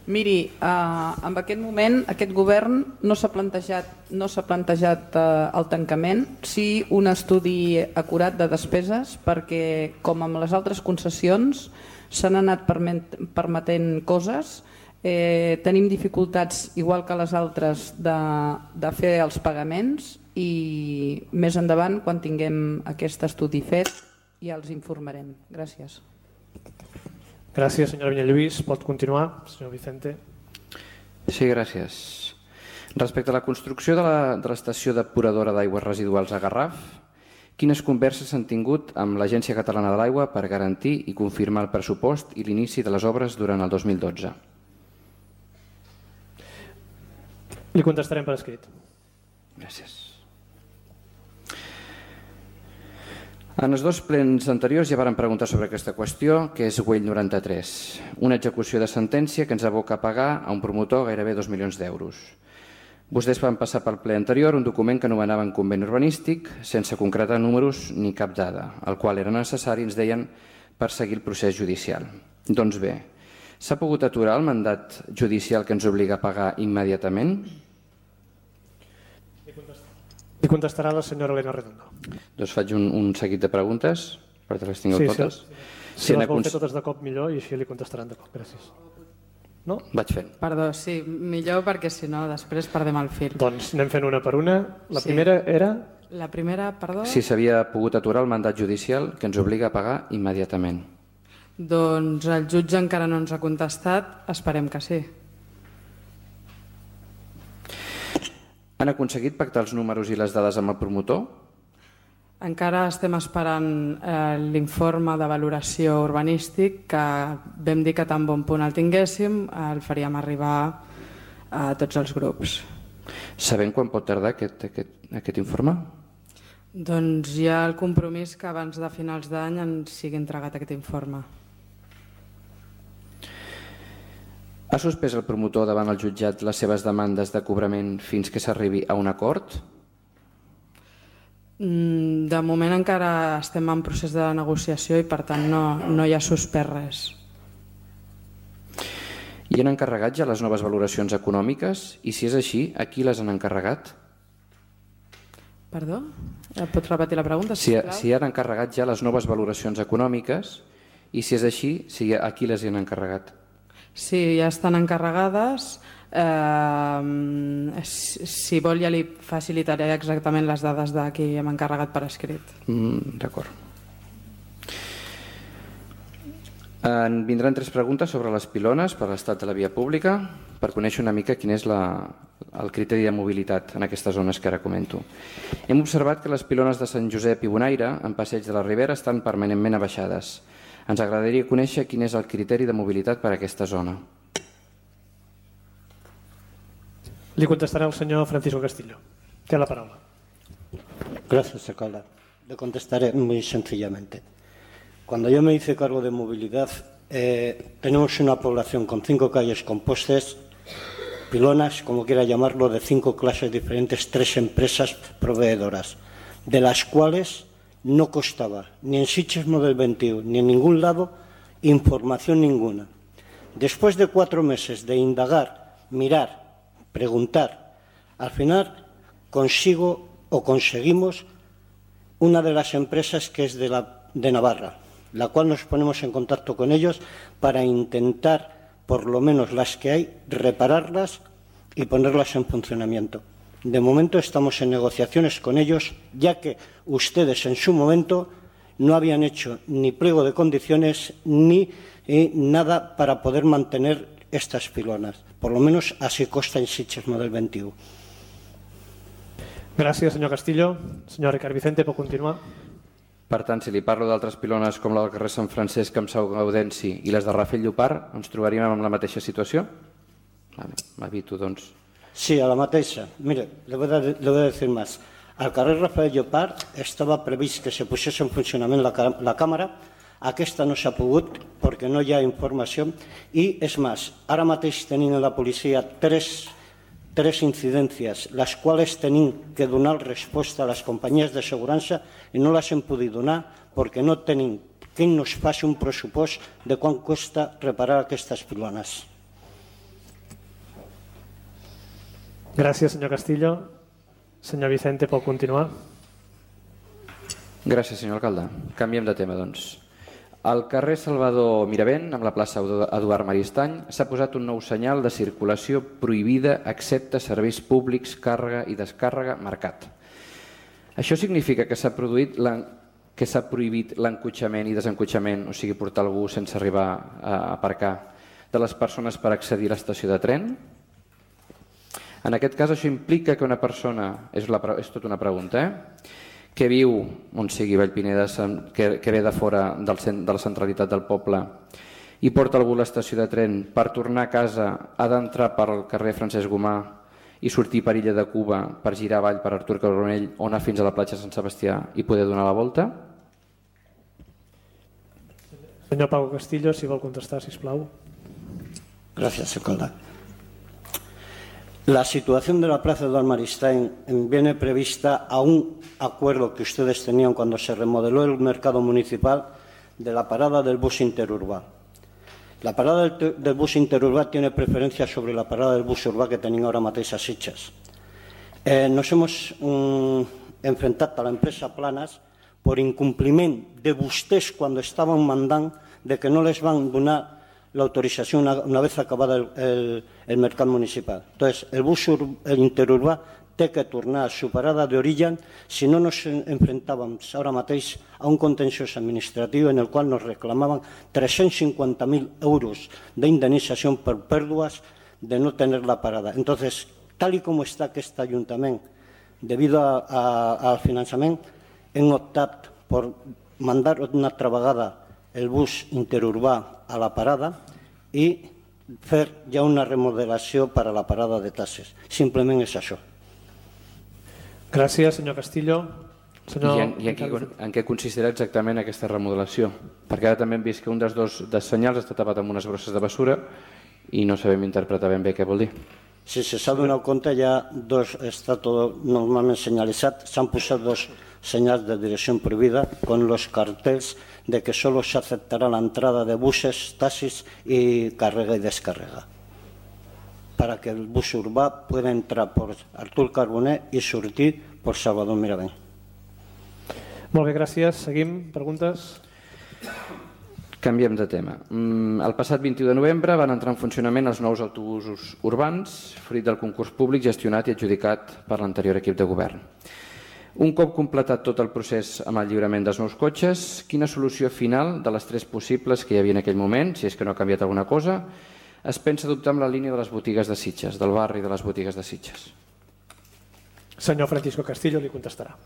Miri, eh, en aquest moment aquest govern no s'ha plantejat, no s'ha plantejat eh, el tancament, sí un estudi acurat de despeses, perquè com amb les altres concessions s'han anat permetent coses, eh, tenim dificultats igual que les altres de, de fer els pagaments, i més endavant, quan tinguem aquest estudi fet, ja els informarem. Gràcies. Gràcies, senyora Vinyalluís. Pot continuar, senyor Vicente. Sí, gràcies. Respecte a la construcció de l'estació depuradora d'aigües residuals a Garraf, quines converses s'han tingut amb l'Agència Catalana de l'Aigua per garantir i confirmar el pressupost i l'inici de les obres durant el dos mil dotze? Li contestarem per escrit. Gràcies. En els dos plens anteriors ja varen preguntar sobre aquesta qüestió, que és Güell noranta-tres, una execució de sentència que ens aboca a pagar a un promotor gairebé dos milions d'euros. Vostès van passar pel ple anterior un document que anomenaven conveni urbanístic, sense concretar números ni cap dada, el qual era necessari, ens deien, per seguir el procés judicial. Doncs bé, s'ha pogut aturar el mandat judicial que ens obliga a pagar immediatament? Li contestarà la senyora Elena Redondo. Doncs faig un, un seguit de preguntes, perquè les tingueu sí, totes. Sí, si, si les vol fer totes de cop millor i així li contestaran de cop. Gràcies. No? Vaig fent. Perdó, sí, millor perquè si no després perdem el fil. Doncs anem fent una per una. La sí. primera era... La primera, perdó? Si s'havia pogut aturar el mandat judicial que ens obliga a pagar immediatament. Doncs el jutge encara no ens ha contestat, esperem que sí. Han aconseguit pactar els números i les dades amb el promotor? Encara estem esperant eh, l'informe de valoració urbanístic que vam dir que tan bon punt el tinguéssim el faríem arribar a tots els grups. Sabem quan pot tardar aquest, aquest, aquest informe? Doncs hi ha el compromís que abans de finals d'any ens sigui entregat aquest informe. Ha suspès el promotor davant el jutjat les seves demandes de cobrament fins que s'arribi a un acord? De moment encara estem en procés de negociació i per tant no, no hi ha suspès res. I han encarregat ja les noves valoracions econòmiques? I si és així, a qui les han encarregat? Perdó? Pots repetir la pregunta, si, sisplau? Si han encarregat ja les noves valoracions econòmiques i si és així, si a qui les han encarregat? Sí, ja estan encarregades. Eh, si vol ja li facilitaré exactament les dades de qui hem encarregat per escrit. Mm, D'acord. En vindran tres preguntes sobre les pilones per l'estat de la via pública per conèixer una mica quin és la, el criteri de mobilitat en aquestes zones que ara comento. Hem observat que les pilones de Sant Josep i Bonaire en Passeig de la Ribera estan permanentment abaixades. Ens agradaria conèixer quin és el criteri de mobilitat per a aquesta zona. Li contestará el señor Francisco Castillo. Tiene la palabra. Gracias, alcalde. Le contestaré muy sencillamente. Cuando yo me hice cargo de movilidad, eh, tenemos una población con cinco calles con postes, pilonas, como quiera llamarlo, de cinco clases diferentes, tres empresas proveedoras, de las cuales no constaba ni en Sitges Model veintiuno ni en ningún lado información ninguna. Después de cuatro meses de indagar, mirar, preguntar, al final consigo o conseguimos una de las empresas que es de, la, de Navarra, la cual nos ponemos en contacto con ellos para intentar, por lo menos las que hay, repararlas y ponerlas en funcionamiento. De momento estamos en negociaciones con ellos, ya que ustedes en su momento no habían hecho ni pliego de condiciones ni eh, nada para poder mantener estas pilonas. Por lo menos así consta en Sitges Model veintiuno. Gràcies, senyor Castillo. Senyor Ricard Vicente, pot continuar. Per tant, si li parlo d'altres pilones com la del carrer Sant Francesc amb Sau Gaudenci i les de Rafel Llopart, ens trobaríem en la mateixa situació? Vale, m'evito, doncs. Sí, a la mateixa. Mire, le voy a, le voy a decir más. Al carrer Rafael Llopart estava previst que se posés en funcionament la, la càmera. Aquesta no s'ha pogut perquè no hi ha informació. I, és més, ara mateix tenim en la policia tres, tres incidències, les quals tenim que donar resposta a les companyies de assegurança i no les hem pogut donar perquè no tenim qui nos faci un pressupost de quant costa reparar aquestes pilones. Gràcies, senyor Castillo. Senyor Vicente, pot continuar. Gràcies, senyor alcalde. Canviem de tema, doncs. Al carrer Salvador Miravent, amb la plaça Eduard Maristany, s'ha posat un nou senyal de circulació prohibida excepte serveis públics, càrrega i descàrrega marcat. Això significa que s'ha produït que s'ha prohibit l'encotxament i desencotxament, o sigui, portar algú sense arribar a aparcar, de les persones per accedir a l'estació de tren? En aquest cas, això implica que una persona, és, la, és tota una pregunta, eh? que viu, on sigui Vallpineda, que, que ve de fora del, de la centralitat del poble i porta algú a l'estació de tren per tornar a casa, ha d'entrar pel carrer Francesc Gomà i sortir per Illa de Cuba per girar avall per Artur Carbonell o anar fins a la platja Sant Sebastià i poder donar la volta? Senyor Pau Castillo, si vol contestar, sisplau. Gracias, alcalde. La situación de la plaza Eduardo Maristain viene prevista a un acuerdo que ustedes tenían cuando se remodeló el mercado municipal de la parada del bus interurbà. La parada del, del bus interurbà tiene preferencia sobre la parada del bus urbà que tenían ahora mateix a Sitges. Eh, nos hemos um, enfrentat a la empresa Planas por incumpliment de vostès cuando estaban mandant de que no les van donar la autorización una, una vez acabada el, el, el mercat municipal. Entonces, el bus ur, el interurbà té que tornar a su parada d'origen, si no nos enfrentàvem ara mateix a un contenciós administratiu en el qual nos reclamaven tres-cents cinquanta mil euros d'indemnització per pèrdues de no tener la parada. Entonces, tal y como está aquest Ajuntament, debido a, a, al finançament, hem optat por mandar una altra vegada el bus interurbà a la parada i fer ja una remodelació per a la parada de Tasses. Simplement és això. Gràcies, senyor Castillo. Senyor... I, en, i en, què, en què consistirà exactament aquesta remodelació? Perquè ara també hem vist que un dels dos dels senyals està tapat amb unes bosses de basura i no sabem interpretar ben bé què vol dir. Si se s'ha donat compte, ja dos, està tot normalment senyalitzat, s'han posat dos senyals de direcció prohibida con los cartells de que solo se aceptará la entrada de buses, taxis y carrega y descarrega, para que el bus urbà pueda entrar por Artur Carbonell i sortir por Salvador Miravent. Molt bé, gràcies. Seguim. Preguntes? Canviem de tema. El passat vint-i-u de novembre van entrar en funcionament els nous autobusos urbans, fruit del concurs públic gestionat i adjudicat per l'anterior equip de govern. Un cop completat tot el procés amb el lliurament dels nous cotxes, quina solució final de les tres possibles que hi havia en aquell moment, si és que no ha canviat alguna cosa, es pensa adoptar amb la línia de les botigues de Sitges, del barri de les botigues de Sitges? Señor Francisco Castillo le contestará.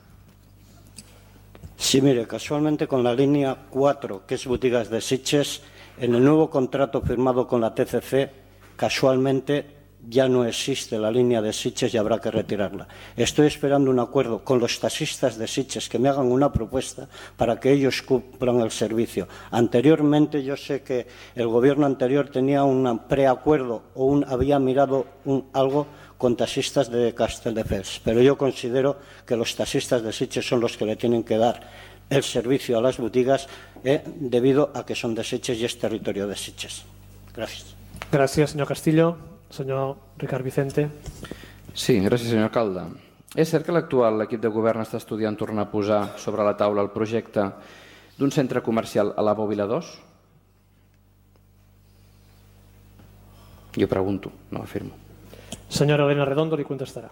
Sí, mire, casualmente con la línea cuatro, que es botigas de Sitges, en el nuevo contrato firmado con la T C C, casualmente ya no existe la línea de Sitges y habrá que retirarla. Estoy esperando un acuerdo con los taxistas de Sitges que me hagan una propuesta para que ellos cumplan el servicio. Anteriormente yo sé que el gobierno anterior tenía un preacuerdo o un, había mirado un, algo con taxistas de Castelldefels, pero yo considero que los taxistas de Sitges son los que le tienen que dar el servicio a las botigas eh, debido a que son de Sitges y es territorio de Sitges. Gracias. Gracias, señor Castillo. Senyor Ricard Vicente. Sí, gràcies, senyor alcalde. És cert que l'actual equip de govern està estudiant tornar a posar sobre la taula el projecte d'un centre comercial a la Bòbila dos? Jo pregunto, no afirmo. Senyora Elena Redondo li contestarà.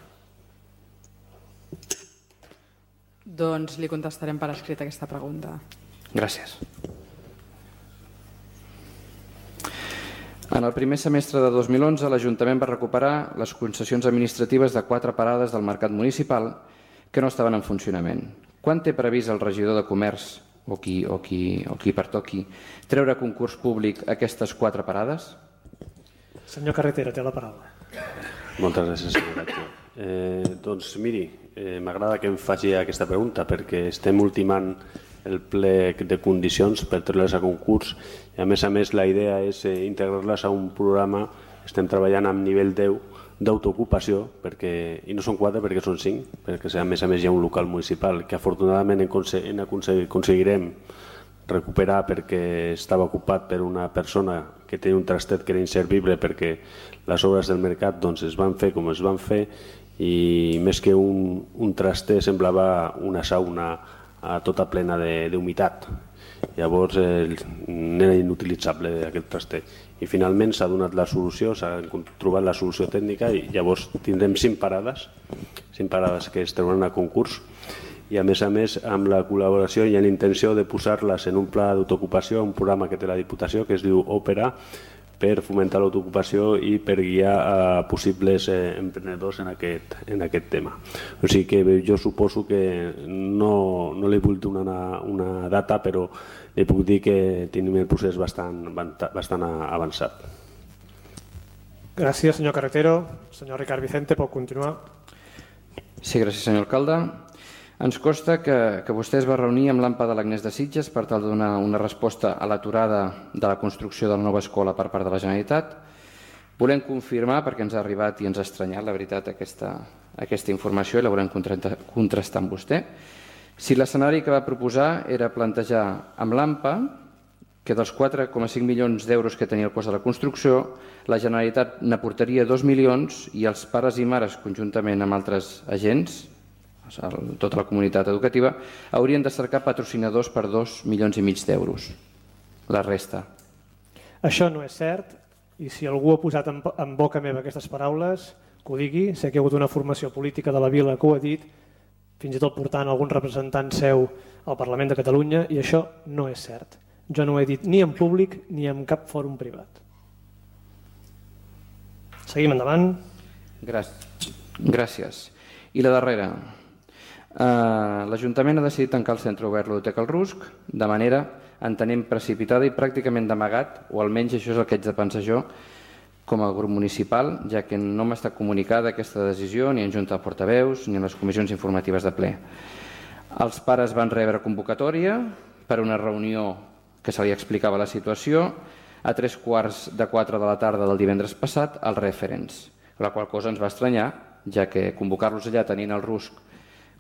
Doncs li contestarem per escrit aquesta pregunta. Gràcies. En el primer semestre de dos mil onze, l'Ajuntament va recuperar les concessions administratives de quatre parades del mercat municipal que no estaven en funcionament. Quan té previst el regidor de Comerç, o qui, o qui, o qui pertoqui, treure a concurs públic aquestes quatre parades? Senyor Carretera, té la paraula. Moltes gràcies, senyor Gatge. Eh, doncs miri, eh, m'agrada que em faci aquesta pregunta perquè estem ultimant el plec de condicions per treure-les a concurs i a més a més la idea és eh, integrar-les a un programa. Estem treballant amb nivell deu d'autoocupació perquè, i no són quatre perquè són cinc, perquè a més a més hi ha un local municipal que afortunadament en en aconseguirem recuperar perquè estava ocupat per una persona que té un trastet que era inservible perquè les obres del mercat doncs, es van fer com es van fer i més que un, un traster semblava una sauna a tota plena d'humitat. Llavors eh, era inutilitzable aquest traster. I finalment s'ha donat la solució, s'ha trobat la solució tècnica i llavors tindrem cinc parades, cinc parades que es trauran a concurs i a més a més amb la col·laboració i la intenció de posar-les en un pla d'autoocupació, un programa que té la Diputació que es diu Òpera, per fomentar l'autoocupació i per guiar a possibles eh, emprenedors en aquest, en aquest tema. O sigui que jo suposo que no, no li vull donar una data, però li puc dir que tenim el procés bastant, bastant avançat. Gràcies, senyor Carretero. Senyor Ricard Vicente, pot continuar. Sí, gràcies, senyor alcalde. Ens consta que, que vostè es va reunir amb l'AMPA de l'Agnès de Sitges per tal de donar una resposta a l'aturada de la construcció de la nova escola per part de la Generalitat. Volem confirmar, perquè ens ha arribat i ens ha estranyat, la veritat, aquesta, aquesta informació, i la volem contrastar amb vostè, si l'escenari que va proposar era plantejar amb l'AMPA que dels quatre coma cinc milions d'euros que tenia el cost de la construcció, la Generalitat n'aportaria dos milions i els pares i mares, conjuntament amb altres agents, tota la comunitat educativa, haurien de cercar patrocinadors per dos milions i mig d'euros. La resta. Això no és cert, i si algú ha posat en, en boca meva aquestes paraules, que ho digui. Sé que hi ha hagut una formació política de la vila que ho ha dit, fins i tot portant algun representant seu al Parlament de Catalunya, i això no és cert. Jo no ho he dit ni en públic ni en cap fòrum privat. Seguim endavant. Gràcies. Gràcies. I la darrera. Uh, L'Ajuntament ha decidit tancar el centre obert Ludoteca El Rusc de manera, entenem, precipitada i pràcticament d'amagat, o almenys això és el que haig de pensar jo com a grup municipal, ja que no m'ha estat comunicada aquesta decisió ni en Junta de Portaveus ni en les comissions informatives de ple. Els pares van rebre convocatòria per una reunió que se li explicava la situació a tres quarts de quatre de la tarda del divendres passat als referents, la qual cosa ens va estranyar, ja que convocar-los allà tenint el Rusc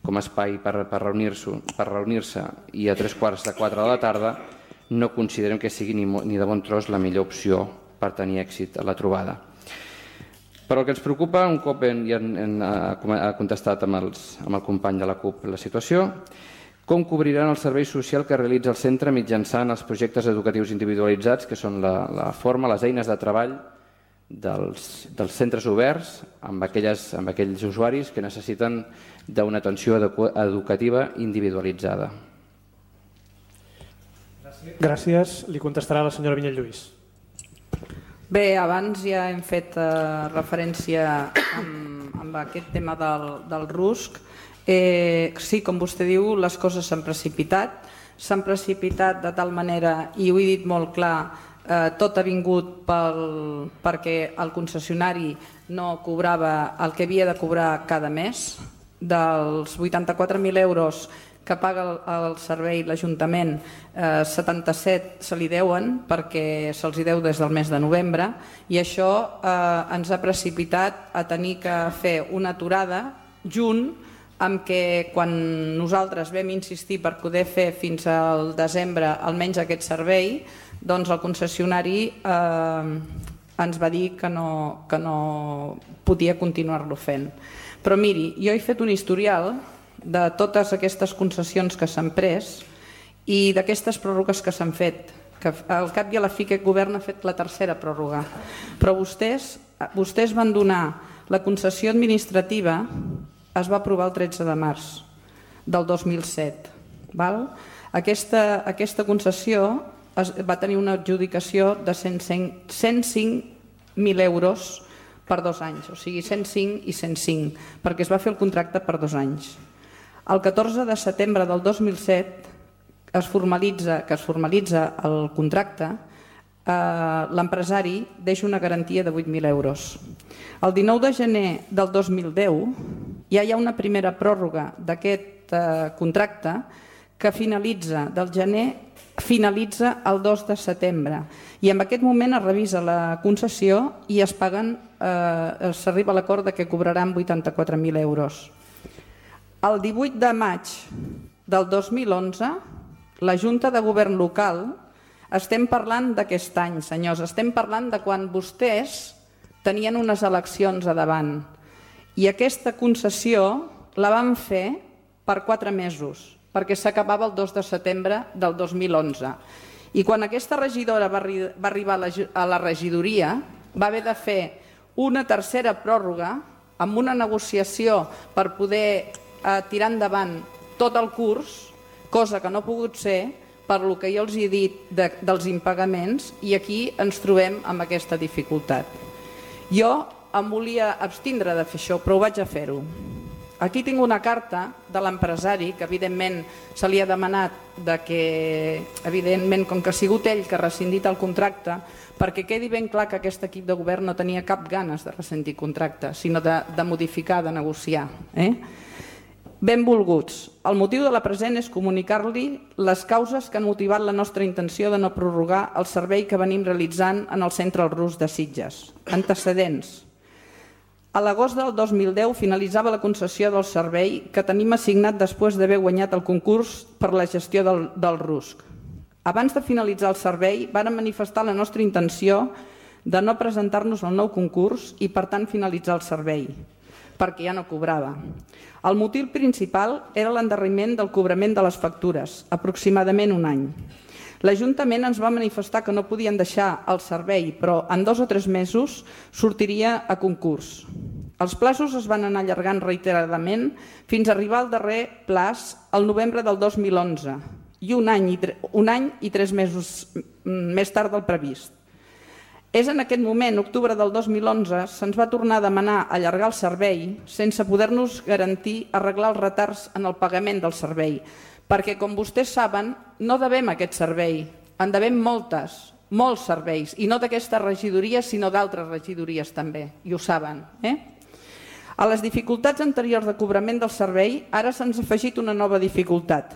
com a espai per, per reunir-se per reunir-se i a tres quarts de quatre de la tarda no considerem que sigui ni, ni de bon tros la millor opció per tenir èxit a la trobada. Però el que ens preocupa, un cop en, en, en, ha contestat amb, els, amb el company de la CUP la situació, com cobriran el servei social que realitza el centre mitjançant els projectes educatius individualitzats, que són la, la forma, les eines de treball dels, dels centres oberts amb, aquelles, amb aquells usuaris que necessiten d'una atenció educativa individualitzada. Gràcies. Li contestarà la senyora Vinyet Lluís. Bé, abans ja hem fet eh, referència amb, amb aquest tema del, del Rusc. Eh, sí, com vostè diu, les coses s'han precipitat. S'han precipitat de tal manera, i ho he dit molt clar, eh, tot ha vingut pel, perquè el concessionari no cobrava el que havia de cobrar cada mes. Dels vuitanta-quatre mil euros que paga el, el servei l'Ajuntament, eh, setanta-set se li deuen perquè se'ls deu des del mes de novembre, i això eh, ens ha precipitat a tenir que fer una aturada junt amb que quan nosaltres vam insistir per poder fer fins al desembre almenys aquest servei, doncs el concessionari eh, ens va dir que no, que no podia continuar-lo fent. Però miri, jo he fet un historial de totes aquestes concessions que s'han pres i d'aquestes pròrrogues que s'han fet, que al cap i a la fi aquest govern ha fet la tercera pròrroga. Però vostès, vostès van donar la concessió administrativa, es va aprovar el tretze de març del dos mil set. Val? Aquesta, aquesta concessió es, va tenir una adjudicació de cent cinc mil euros per dos anys, o sigui cent cinc i cent cinc, perquè es va fer el contracte per dos anys. El catorze de setembre del dos mil set es formalitza, que es formalitza el contracte, eh, l'empresari deixa una garantia de vuit mil euros. El dinou de gener del dos mil deu ja hi ha una primera pròrroga d'aquest eh, contracte que finalitza del gener finalitza el dos de setembre, i en aquest moment es revisa la concessió i es paguen, eh, s'arriba a l'acord que cobraran vuitanta-quatre mil euros. El divuit de maig del dos mil onze, la Junta de Govern Local, estem parlant d'aquest any, senyors, estem parlant de quan vostès tenien unes eleccions a davant, i aquesta concessió la van fer per quatre mesos, perquè s'acabava el dos de setembre del dos mil onze. I quan aquesta regidora va arribar a la regidoria, va haver de fer una tercera pròrroga amb una negociació per poder tirar endavant tot el curs, cosa que no ha pogut ser per lo que jo els he dit de, dels impagaments, i aquí ens trobem amb aquesta dificultat. Jo em volia abstindre de fer això, però ho vaig a fer-ho. Aquí tinc una carta de l'empresari que evidentment se li ha demanat de que, evidentment, com que ha sigut ell que ha rescindit el contracte, perquè quedi ben clar que aquest equip de govern no tenia cap ganes de rescindir contracte, sinó de, de modificar, de negociar. Eh? Benvolguts, el motiu de la present és comunicar-li les causes que han motivat la nostra intenció de no prorrogar el servei que venim realitzant en el Centre Rus de Sitges. Antecedents. A l'agost del dos mil deu finalitzava la concessió del servei que tenim assignat després d'haver guanyat el concurs per la gestió del, del RUSC. Abans de finalitzar el servei, vàrem manifestar la nostra intenció de no presentar-nos al nou concurs i, per tant, finalitzar el servei, perquè ja no cobrava. El motiu principal era l'endarreriment del cobrament de les factures, aproximadament un any. L'Ajuntament ens va manifestar que no podien deixar el servei, però en dos o tres mesos sortiria a concurs. Els plaços es van anar allargant reiteradament fins a arribar al darrer plaç el novembre del dos mil onze i un any i, un any i tres mesos més tard del previst. És en aquest moment, octubre del dos mil onze, se'ns va tornar a demanar allargar el servei sense poder-nos garantir arreglar els retards en el pagament del servei, perquè, com vostès saben, no devem aquest servei, en devem moltes, molts serveis, i no d'aquesta regidoria, sinó d'altres regidories també, i ho saben. Eh? A les dificultats anteriors de cobrament del servei, ara se'ns ha afegit una nova dificultat.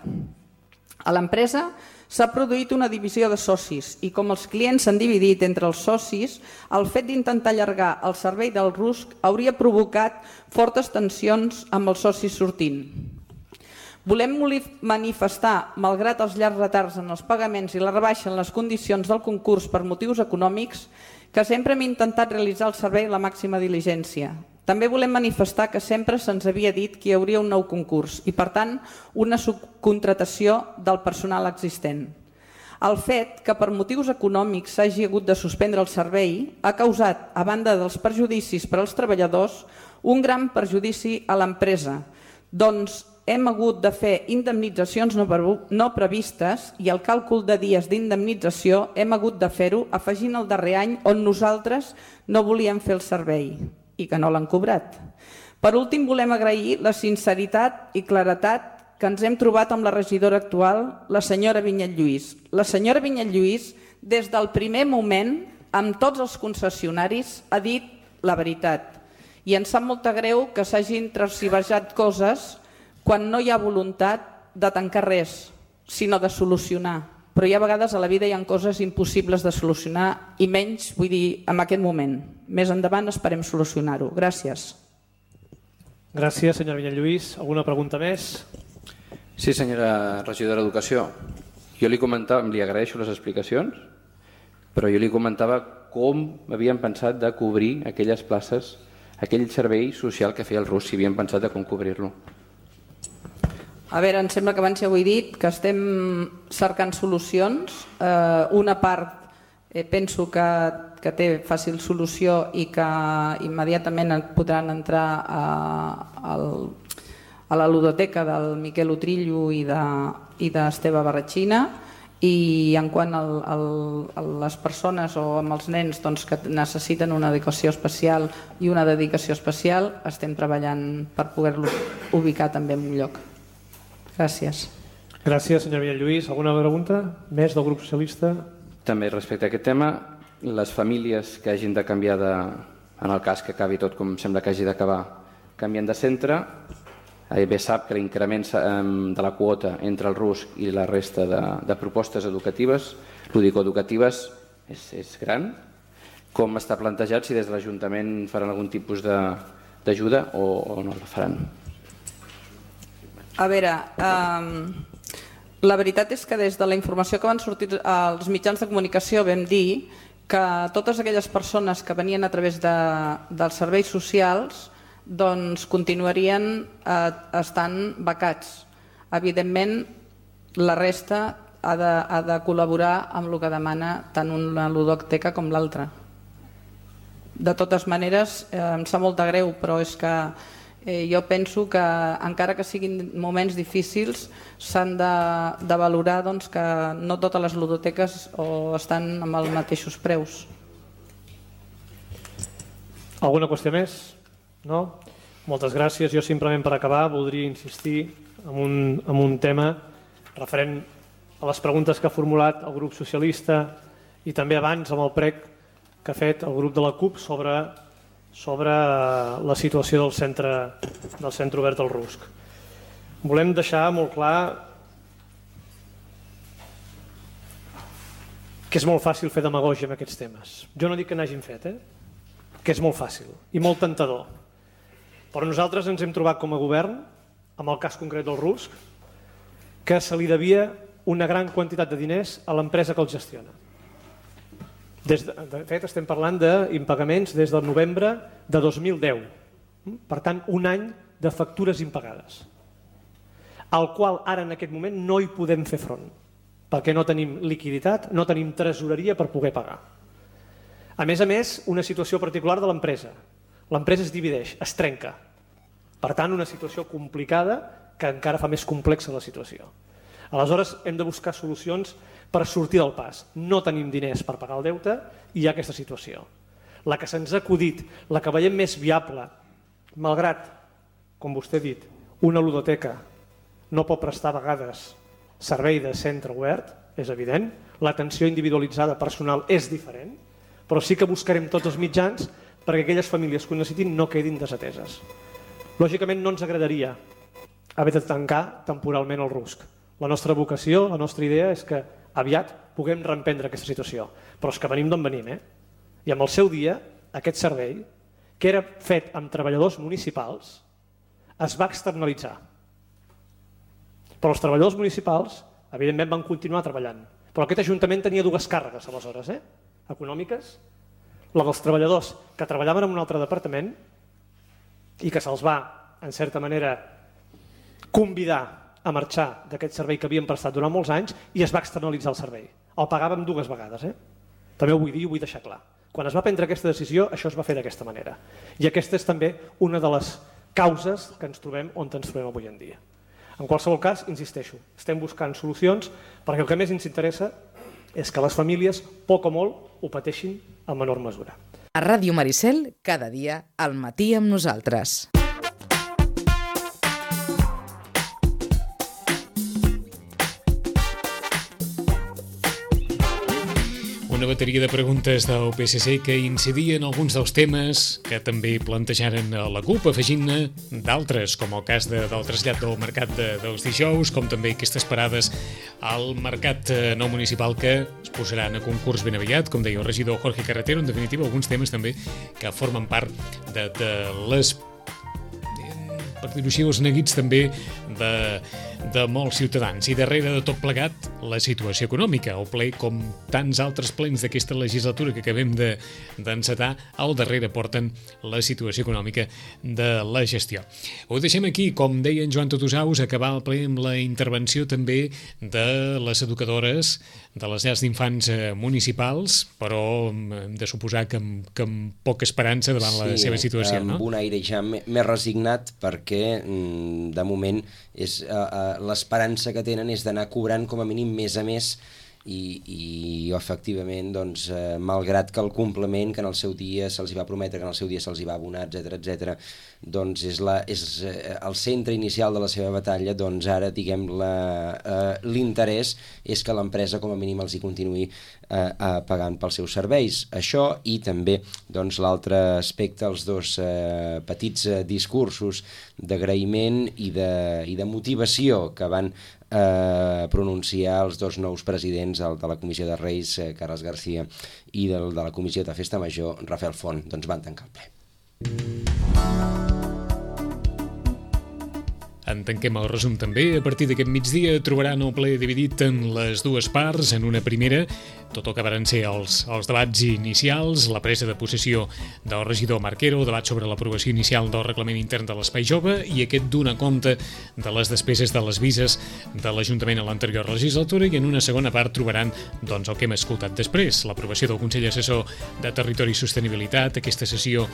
A l'empresa s'ha produït una divisió de socis i com els clients s'han dividit entre els socis, el fet d'intentar allargar el servei del RUSC hauria provocat fortes tensions amb els socis sortint. Volem manifestar, malgrat els llargs retards en els pagaments i la rebaixa en les condicions del concurs per motius econòmics, que sempre hem intentat realitzar el servei a la màxima diligència. També volem manifestar que sempre se'ns havia dit que hi hauria un nou concurs i, per tant, una subcontratació del personal existent. El fet que per motius econòmics s'hagi hagut de suspendre el servei ha causat, a banda dels perjudicis per als treballadors, un gran perjudici a l'empresa, doncs hem hagut de fer indemnitzacions no previstes i el càlcul de dies d'indemnització hem hagut de fer-ho afegint el darrer any on nosaltres no volíem fer el servei i que no l'han cobrat. Per últim, volem agrair la sinceritat i claretat que ens hem trobat amb la regidora actual, la senyora Vinyet Lluís. La senyora Vinyet Lluís, des del primer moment, amb tots els concessionaris, ha dit la veritat. I ens sap molt greu que s'hagin transversat coses quan no hi ha voluntat de tancar res, sinó de solucionar. Però hi ha vegades a la vida hi ha coses impossibles de solucionar i menys, vull dir, en aquest moment. Més endavant esperem solucionar-ho. Gràcies. Gràcies, senyora Vinyet Lluís. Alguna pregunta més? Sí, senyora regidora d'Educació. Jo li comentava, li agraeixo les explicacions, però jo li comentava com havien pensat de cobrir aquelles places, aquell servei social que feia el RUSC, si havien pensat de com cobrir-lo. A veure, em sembla que abans ja ho he dit, que estem cercant solucions. Eh, una part eh, penso que, que té fàcil solució i que immediatament podran entrar a, a, a la ludoteca del Miquel Utrillo i d'Esteve Barratxina, i en quant al, al, a les persones o amb els nens doncs, que necessiten una dedicació especial i una dedicació especial, estem treballant per poder-lo ubicar també en un lloc. Gràcies. Gràcies, senyora Vinyet Lluís. Alguna pregunta més del grup socialista? També respecte a aquest tema, les famílies que hagin de canviar de, en el cas que acabi tot com sembla que hagi d'acabar, canvien de centre, bé sap que l'increment de la quota entre el RUSC i la resta de, de propostes educatives, lúdico-educatives, és, és gran. Com està plantejat, si des de l'Ajuntament faran algun tipus d'ajuda o, o no la faran? A veure, eh, la veritat és que des de la informació que van sortir als mitjans de comunicació vam dir que totes aquelles persones que venien a través de, dels serveis socials doncs continuarien eh, estant becats. Evidentment, la resta ha de, ha de col·laborar amb el que demana tant una ludoteca com l'altra. De totes maneres, eh, em sap molt de greu, però és que Eh, jo penso que, encara que siguin moments difícils, s'han de, de valorar doncs, que no totes les ludoteques o estan amb els mateixos preus. Alguna qüestió més? No? Moltes gràcies. Jo simplement per acabar voldria insistir en un, en un tema referent a les preguntes que ha formulat el grup socialista i també abans amb el prec que ha fet el grup de la CUP sobre, sobre la situació del centre, del centre obert del Rusc. Volem deixar molt clar que és molt fàcil fer demagògia amb aquests temes. Jo no dic que n'hagin fet, eh? Que és molt fàcil i molt tentador. Però nosaltres ens hem trobat com a govern, amb el cas concret del Rusc, que se li devia una gran quantitat de diners a l'empresa que el gestiona. Des de, de fet, estem parlant d'impagaments des del novembre de dos mil deu. Per tant, un any de factures impagades, al qual ara en aquest moment no hi podem fer front, perquè no tenim liquiditat, no tenim tresoreria per poder pagar. A més a més, una situació particular de l'empresa. L'empresa es divideix, es trenca. Per tant, una situació complicada que encara fa més complexa la situació. Aleshores, hem de buscar solucions per sortir del pas. No tenim diners per pagar el deute i hi ha aquesta situació. La que se'ns ha acudit, la que veiem més viable, malgrat, com vostè ha dit, una ludoteca no pot prestar a vegades servei de centre obert, és evident, l'atenció individualitzada personal és diferent, però sí que buscarem tots els mitjans perquè aquelles famílies que ho necessitin no quedin desateses. Lògicament no ens agradaria haver de tancar temporalment el Rusc. La nostra vocació, la nostra idea és que aviat puguem reemprendre aquesta situació. Però és que venim d'on venim, eh? I amb el seu dia, aquest servei, que era fet amb treballadors municipals, es va externalitzar. Però els treballadors municipals, evidentment, van continuar treballant. Però aquest ajuntament tenia dues càrregues, aleshores, eh? econòmiques, la dels treballadors que treballaven en un altre departament i que se'ls va, en certa manera, convidar a marxar d'aquest servei que havien prestat durant molts anys i es va externalitzar el servei. El pagàvem dues vegades. Eh? També ho vull dir i ho vull deixar clar. Quan es va prendre aquesta decisió, això es va fer d'aquesta manera. I aquesta és també una de les causes que ens trobem on ens trobem avui en dia. En qualsevol cas, insisteixo, estem buscant solucions perquè el que més ens interessa és que les famílies, poc o molt, ho pateixin en menor mesura. A Ràdio Maricel, cada dia, al matí amb nosaltres. Una bateria de preguntes del P S C que incidien en alguns dels temes que també plantejaren a la CUP, afegint-ne d'altres, com el cas de, del trasllat del mercat de, dels dijous, com també aquestes parades al mercat no municipal que es posaran a concurs ben aviat, com deia el regidor Jorge Carretero. En definitiva, alguns temes també que formen part de, de les, per dir-ho així, els neguits també de, de molts ciutadans. I darrere de tot plegat, la situació econòmica. El ple, com tants altres plens d'aquesta legislatura que acabem de, d'encetar, al darrere porten la situació econòmica de la gestió. Ho deixem aquí, com deia en Joan Totosaus, acabar el ple amb la intervenció també de les educadores de les llars d'infants municipals, però hem de suposar que amb, que amb poca esperança davant sí, la seva situació, amb no? Un aire ja més resignat, perquè de moment és, uh, l'esperança que tenen és d'anar cobrant com a mínim mes a mes i, i efectivament, doncs, eh, malgrat que el complement que en el seu dia se'ls va prometre, que en el seu dia se'ls va abonar, etcètera, etcètera, doncs és, la, és eh, el centre inicial de la seva batalla, doncs ara, diguem, la, eh, l'interès és que l'empresa com a mínim els hi continuï eh, eh, pagant pels seus serveis. Això i també, doncs, l'altre aspecte, els dos eh, petits eh, discursos d'agraïment i de, i de motivació que van Eh, pronunciar els dos nous presidents, el de la Comissió de Reis, eh, Carles García, i del de la Comissió de Festa Major, Rafael Font, doncs van tancar el ple. En tanquem el resum també. A partir d'aquest migdia trobaran el ple dividit en les dues parts. En una primera, tot el que van ser els, els debats inicials, la presa de possessió del regidor Marquero, debat sobre l'aprovació inicial del reglament intern de l'Espai Jove i aquest donar compte de les despeses de les vises de l'Ajuntament a l'anterior legislatura, i en una segona part trobaran doncs, el que hem escoltat després, l'aprovació del Consell Assessor de Territori i Sostenibilitat, aquesta sessió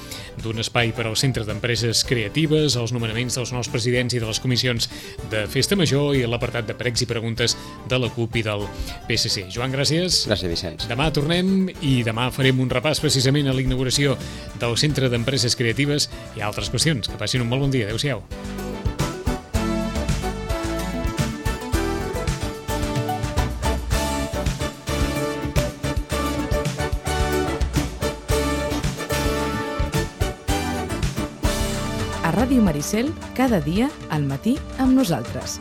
d'un espai per al Centre d'Empreses Creatives, els nomenaments dels nous presidents i de les comissions de Festa Major i l'apartat de pregs i preguntes de la CUP i del P S C. Joan, gràcies. Gràcies, Vicenç. Demà tornem i demà farem un repàs precisament a la inauguració del Centre d'Empreses Creatives i altres qüestions. Que passin un molt bon dia. Adéu-siau. A Ràdio Maricel, cada dia al matí amb nosaltres.